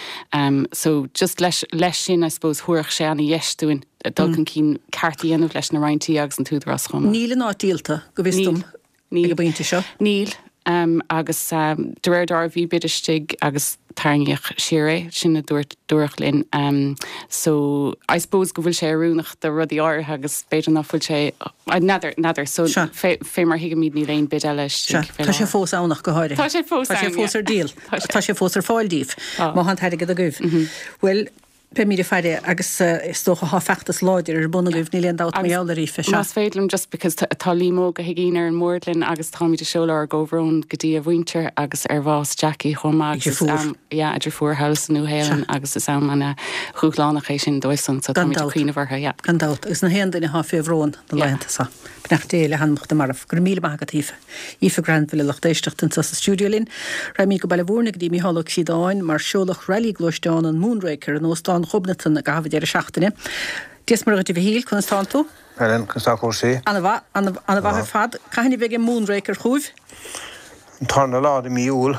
So just leis leis sin I suppose thabharfadh sé ana-dheis dúinn dul chun cinn ceart a dhéanamh leis na Roinn Tí agus an tÚdarás chomh maith. Níl an áit díolta, go bhfios dom. Níl. Ag an bpointe seo? Níl. Agus de réir dealraimh bhí bid istigh agus tarraingíodh siar é, sin a dúirt, dúradh linn. So I suppose go bhfuil sé oiriúnach do rudaí áirithe agus b'fhéidir ná fuil sé, n'fheadar, n'fheadar. So fé, fé mar thuigimid níl aon bid eile istigh fé láthair. Tá sé fós ann ach go háirithe. Tá sé fós ann, yeah. Tá sé fós ar díol. Tá sé fós ar fáil daoibh, má tá an t-airgead agaibh. Bhuel, Beimid ag faire agus is dócha tá feachtas láidir ar bun agaibh, níl aon dabht mar gheall air, Aoife. Sea. Más féidir liom just because tá Liam Óg Ó hUiginn ar an mbord linn agus táimid ag seoladh ár gcomhbhrón go dtí a mhuintir agus ar bhás Jackie chomh maith agus is am, yeah, a deirfiúr thall sa Nua-Shéalainn agus is am ana-dhúshlánach é sin dóibhsan so táimid ag cuimhneamh orthu, yeah. Gan dabht. Agus na haon duine atá fé bhrón na laethanta seo. Beannacht Dé le hanamacha na marbh. Go raibh míle maith agat, Aoife. Aoife Granville, a lucht éisteachta, anseo sa stiúideo linn. Raghaimid go Baile Mhúirne go dtí Mícheál Ó Ciodáin mar seoladh Rally Gluaisteán an Moonraker in Óstán Ghobnatan i gcaitheamh an deireadh seachtaine. Dia is Muire dhuit a Mhichíl, conas tánn tú? Helen, conas tá cúrsaí? Ana-mhaith, ana-mhaith ar fad. Cathain a bheidh an Moonraker chugaibh? An tarna lá de mí Iúil.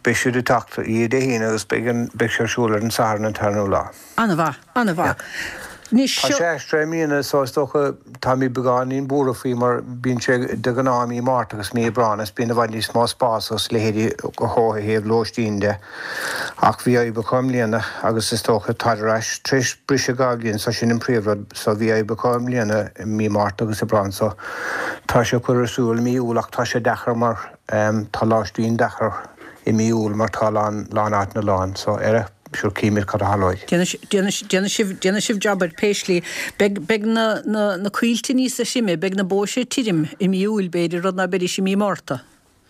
Beidh siad ag teacht oíche Dé hAoine agus beidh an, beidh sé ar siúl ar an Satharn an tarna lá. Ana-mhaith, ana-mhaith. Anois Tá seo. sé aistrithe i mbliana so is dócha táimid beagáinín buartha faoi mar bíonn sé de ghnáth i mí Márta agus mí Aibreán is bíonn i bhfad níos mó spás agus leithéidí ó thaobh lóistín de ach bhí oibreacha i mbliana agus is dócha táid ar ais tar éis briseadh dhá bhliain so sin an príomhrud so bhí oibreacha i mbliana i mí Márta agus Aibreán so tá sé curtha ar siúl i mí Iúil ach tá sé deacair mar tá lóistín deacair i mí Iúil mar tá a lán lán áiteanna lán so ar a Sure címid cad a tharlóidh. Déanfaidh sibh, déanfaidh sibh jab air pé slí. Beidh, beidh na, na, na coillte níosa thirime, beidh na bóithre tirim i mí Iúil b'fhéidir, rud ná beidís i mí Márta.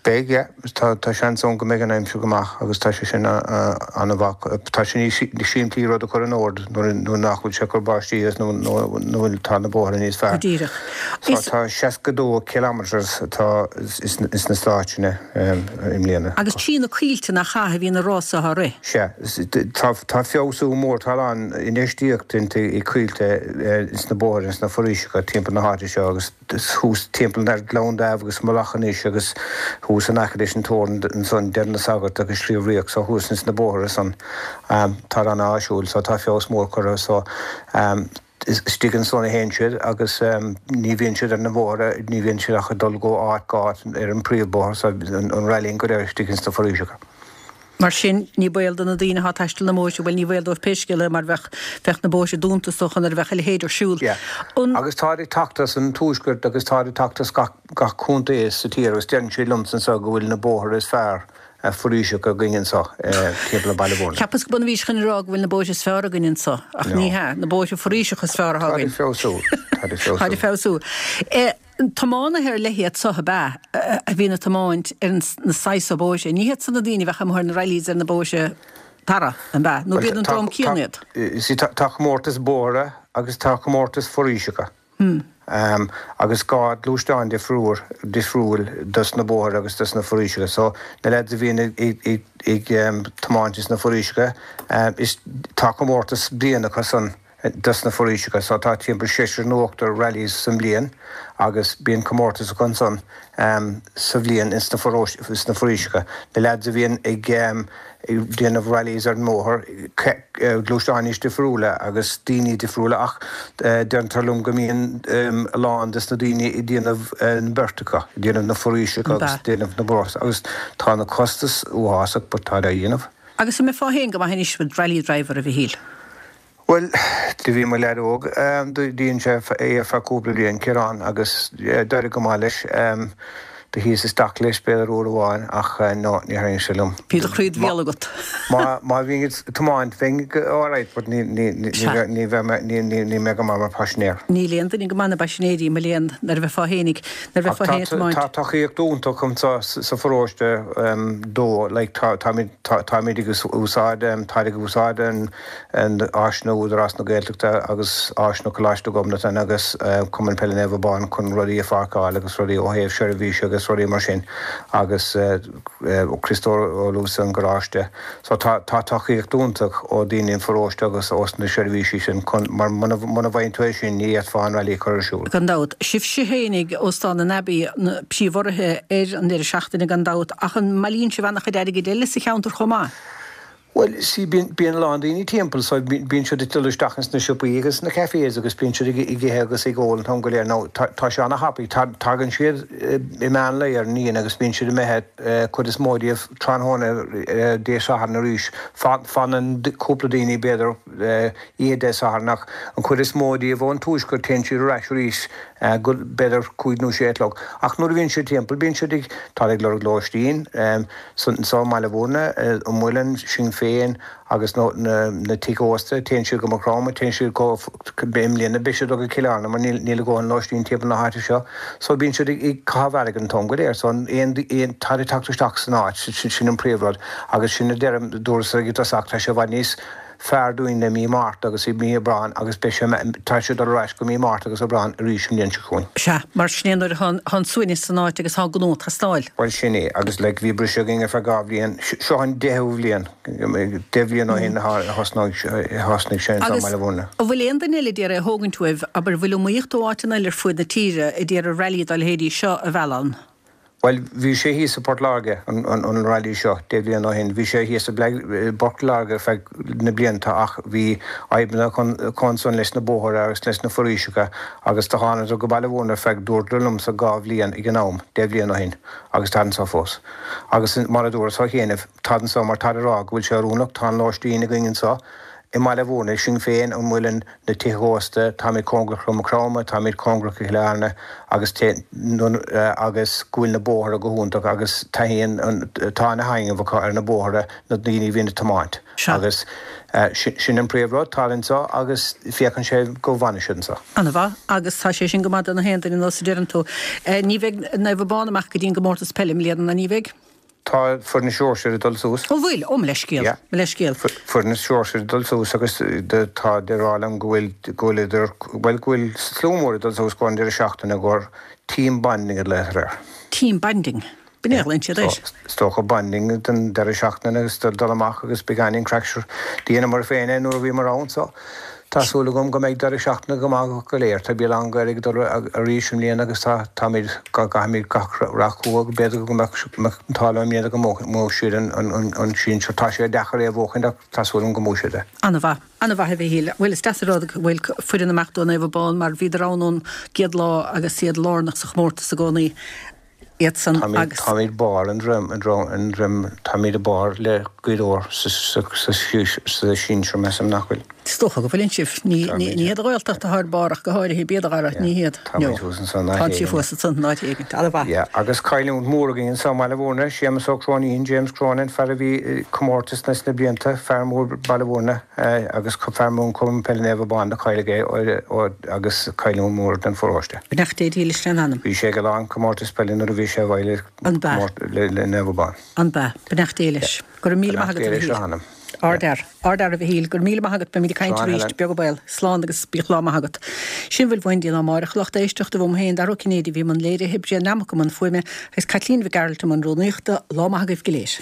Beidh, yeah. Tá, tá seans ann go mbeidh an aimsir go maith agus tá sé sin an-mhaith. Tá sé níos simplí rud a chur in ord nuair, nuair nach bhfuil sé ag cur báistí agus nuair, nuair tá na bóithre níos Go fearr. díreach. So Is. tá seasca dó kilometres atá ins na Stáit i mbliana. Agus trí na coillte nach ea a bhíonn na rásaithe á rith. Sea. Tá tá feabhsú mór, tá a lán infheistíocht déanta i coillte ins na bóithre, ins na foraoiseacha timpeall na háite seo agus thuas timpeall ar Ghleann Dáimh agus Mullach anois agus thuas in aice leis an teorainn ansan, Deireadh na Sagart agus Sliabh Riach so thuas ins na bóithre san tá an-áisiúil so tá feabhas mór curtha so istigh ansan a théann siad agus ní bhíonn siad ar na bóithre, ní bhíonn siad ach ag dul go áit go áit ar an príomhbóthar so an rallying go léir istigh ins na foraoiseacha. Mar sin, ní baol do na daoine atá ag taisteal na mbóithre, bhuel, ní baol dóibh pé scéal é mar bheadh, bheadh na bóithre dúnta is dócha nuair a bheadh a leithéid ar siúl. Yeah. An. Agus táid ag teacht as an tuaisceart agus táid ag teacht as gach, gach contae sa tír agus deireann siad liomsa anseo go bhfuil na bóithre is fearr foraoiseacha againn anseo timpeall Baile Mhúirne. Cheapas go b'ionann a bhís chun a rá go bhfuil na bóithre is fearr againn anseo, ach No. ní hea, na bóithre foraoiseacha is fearr atá Táid ag againn. feabhsú. Táid ag feabhsú. Táid ag feabhsú. Tiománaithe ar leith iad so ab ea a bhíonn ag tiomáint ar na saghas so bóithre. Ní hiad san na daoine a bheadh amuigh ar na rallies ar na bóithre tarra, an ea? Nó b'iad an dream céanna iad? See, tá comórtas bóithre agus tá comórtas foraoiseacha. Agus dhá gluaisteán difriúil, difriúil dos na bóithre agus dos na foraoiseacha. So, na lads a bhíonn ag ag tiomáint ins na foraoiseacha, is tá comórtas bliana acu san. dos na foraoiseacha so tá timpeall seisear nó ochtar rallies sa mbliain agus bíonn comórtas acu ansan sa bhliain ins na foraoiseacha. Na leaids a bhíonn ag déanamh rallies ar an mbóthar, gluaisteáin níos difriúla agus daoine difriúla ach deirtear liom go mbíonn a lán des na daoine ag déanamh an beirt acu, ag déanamh na foraoiseacha agus déanamh na bóithre agus tá na costais uafásach but táid á dhéanamh. Agus an mbeifeá féin go maith anois mar rally driver, a Mhichíl? Bhuel, do bhí mo leaid óg, do dhein sé é ar feadh cúpla bliain, Ciarán, agus d'éirigh go maith leis. Do shuíos isteach leis b'fhéidir uair amháin ach no, ní tharraing sé liom. Bhí do chroí id bhéal agat. Má má bhínn ag tiomáint bheinn alright but ní ní ní ní bheith mé ní ní ní mé go maith mar paisinéir. Níl aon duine go maith ina bpaisinéirí, mo léan, nuair a bheifeá fhéinig, nuair a bheifeá féin ag tiomáint. Tá tacaíocht iontach anseo sa pharóiste dó, like tá táimid tá táimid ag úsáid táid ag úsáid an an áiseanna Údarás na Gaeltachta agus áiseanna Coláiste Ghobnatan agus Cumann Peile Naomh Abán chun rudaí a pháirceáil agus rudaí ó thaobh seirbhíse agus rudaí mar sin agus Criostóir Ó Luasa an garáiste. So tá tá tacaíocht iontach ó daoine an pharóiste agus ós na seirbhísí sin chun mar muna muna bhfaigheann tú é sin ní fhéadfá an rally a chur ar siúl. Gan dabht. Sibhse fhéinig, Óstán an Abbey, na príomhurraithe ar an deireadh seachtaine gan dabht, ach an mbailíonn sibh an-chuid airgid eile sa cheantar chomh maith? Bhuel, see, bíonn, bíonn a lán daoine timpeall so bíonn siad ag dul isteach ins na siopaí agus na cafés agus bíonn siad ag, ag ithe agus ag ól an t-am go léir. Now, tá, tá sé ana-thapaidh. Tá, tagann siad i meán lae ar an Aoine agus bíonn siad imithe cuid is mó díobh tráthnóna Dé Sathairn arís. Fanann cúpla daoine b'fhéidir oíche Dé Sathairn ach an chuid is mó díobh ón tuaisceart téann siad ar ais arís go b'fhéidir cúig nó sé a chlog. Ach nuair a bhíonn siad timpeall bíonn siad ag, tá ag lorg lóistín anso i mBaile Bhúirne, an Muileann, Sinn Féin agus na na tithe ósta, téann siad go Maigh Chromtha, téann siad go, i mbliana beidh siad ag dul go Cill Airne mar níl níl a dhóthain lóistín timpeall na háite seo. So bíonn siad ag ag caitheamh airgid an t-am go léir. So aon aon táid ag teacht isteach san áit, sin an príomhrud agus sin a deirim, dúras ag an dtosach, tá sé i bhfad níos fearr dúinn le mí Márta agus i mí Aibreáin agus beidh sé, tá sé ag dul ar ais go mí Márta agus Aibreán arís an bhliain seo chugainn. Sea, mar sin é nuair atá an suaimhneas san áit agus tá an gnó ag teastáil. Bhuel sin é, agus like bhí briseadh againn ar feadh dhá bhliain, seo an deichiú bhliain, deich bhliain ó shin a thosnaigh thosnaigh sé anseo i Agus mBaile Bhúirne. an bhfuil aon duine eile d'iarraidh a thógaint uaibh, abair, an bhfuil iomaíocht ó áiteanna eile ar fuaid na tíre a d'iarraidh rally dá leithéidí seo a mhealladh ann? Bhuel, bhí sé thíos i bPort Láirge, an rally seo, deich bhliain ó shin. Bhí sé thíos i bPort Láirge ar feadh na blianta ach bhí fadhbanna acu ansan leis na bóithre agus leis na foraoiseacha agus do thánadar go Baile Bhúirne ar feadh, dúradar liomsa, dhá bhliain ag an am, deich bhliain ó shin, agus táid anso fós. Agus mar a dúras ó chianaibh, táid anso mar táid ag rá go bhfuil sé oiriúnach, tá an lóistín againn anso, I mBaile Bhúirne, Sinn Féin, an Muileann, na tithe ósta, táimid cóngarach go Maigh Chromtha, táimid cóngarach go Cill Airne agus agus go bhfuil na bóithre go hiontach agus taitníonn an, tá ana thaitneamh acu ar na bóithre, na daoine a bhíonn ag tiomáint agus sin an príomh rud, táid anseo agus féachann sé go bhfanfaidh siad anseo. Ana mhaith, agus tá sé sin go maith do na haon duine nós a deireann tú. Ní bheidh Naomh Abán amach go dtí an gcomórtas peile i mbliana, ná ní bheidh? Tá foireann na sóisear ag dul suas. Ó bhfuil? Ó, mo leithscéal. Yeah. Mo leithscéal. Foireann na sóisear ag dul suas agus tá ag rá liom go bhfuil, go bhfuil idir, bhuel, go bhfuil slua mór ag dul suas go an deireadh seachtaine gur team bonding a ghlaotar air. Team bonding? B'in é a ghlaonn siad air. So, is dócha bonding don deireadh seachtaine agus dul amach agus beagáinín craic. Sure, dheineamar féin é nuair a bhíomar ann so. Tá súil agam go mbeidh deireadh seachtaine go maith acu go léir. Tá Béal Átha an Ghaorthaidh ag dul arís i mbliana agus tá, táimid, gabhaimid gach rath chucu. B'fhéidir go mbeadh an t-ádh leo i mbliana go mbuafadh siad an sinsear. Tá sé deacair é a bhuachaint ach tá súil agam go mbuafaidh siad é. An-mhaith. An-mhaith a Mhichíl. Bhuel is deas an rud go bhfuil foireann amach do Naomh Abán mar bhíodar ann ón gcéad lá agus iad lárnach sa chomórtas i gcónaí. Iadsan agus. Táimid barr an droim, táimid i barr le Gaoth Dobhair sa sinsear, measaim, nach bhfuil? Is dócha go bhfuileann sibh. Ní hiad an Ghaeltacht atá ar barr ach go háirithe, b'iad a Dhara, ní hiad. Táimid thuas ansan áit éigin. Tá sibh thuas ansan in áit éigin. An-mhaith. Yeah, agus cailliúint mhór againn anso i mBaile Bhúirne, Séamus Ó Cróinín, James Cronin, fear a bhí i comórtas sna blianta, fear mór Baile Bhúirne agus fear mór Cumann Peile Naomh Abán, do cailleadh é agus cailliúint mhór don pharóiste. Beannacht Dé dhílis lena anam. Bhí sé ag a lán comórtas peile nuair a bhí sé ag An b'ea? le Naomh Abán. An b'ea? Beannacht Dé leis. Go raibh míle maith Beannacht agat, Dé a leis Mhichíl. a anam. Ardfhear. Ardfhear, a Mhichíl. Go raibh míle maith agat. Beimid ag caint Slán, arís. Helen. Beag an baol. Slán agus bíodh lá maith agat. Sin a bhfuil uainn go dtí amárach, a lucht éisteachta. Uaim féin, Dara Ó Cinnéide, a bhí i mbun léirithe, Brian Nammock i mbun fuaime agus Caitlín Mhic Gearailt i mbun rúnaíochta. Lá maith agaibh go léir.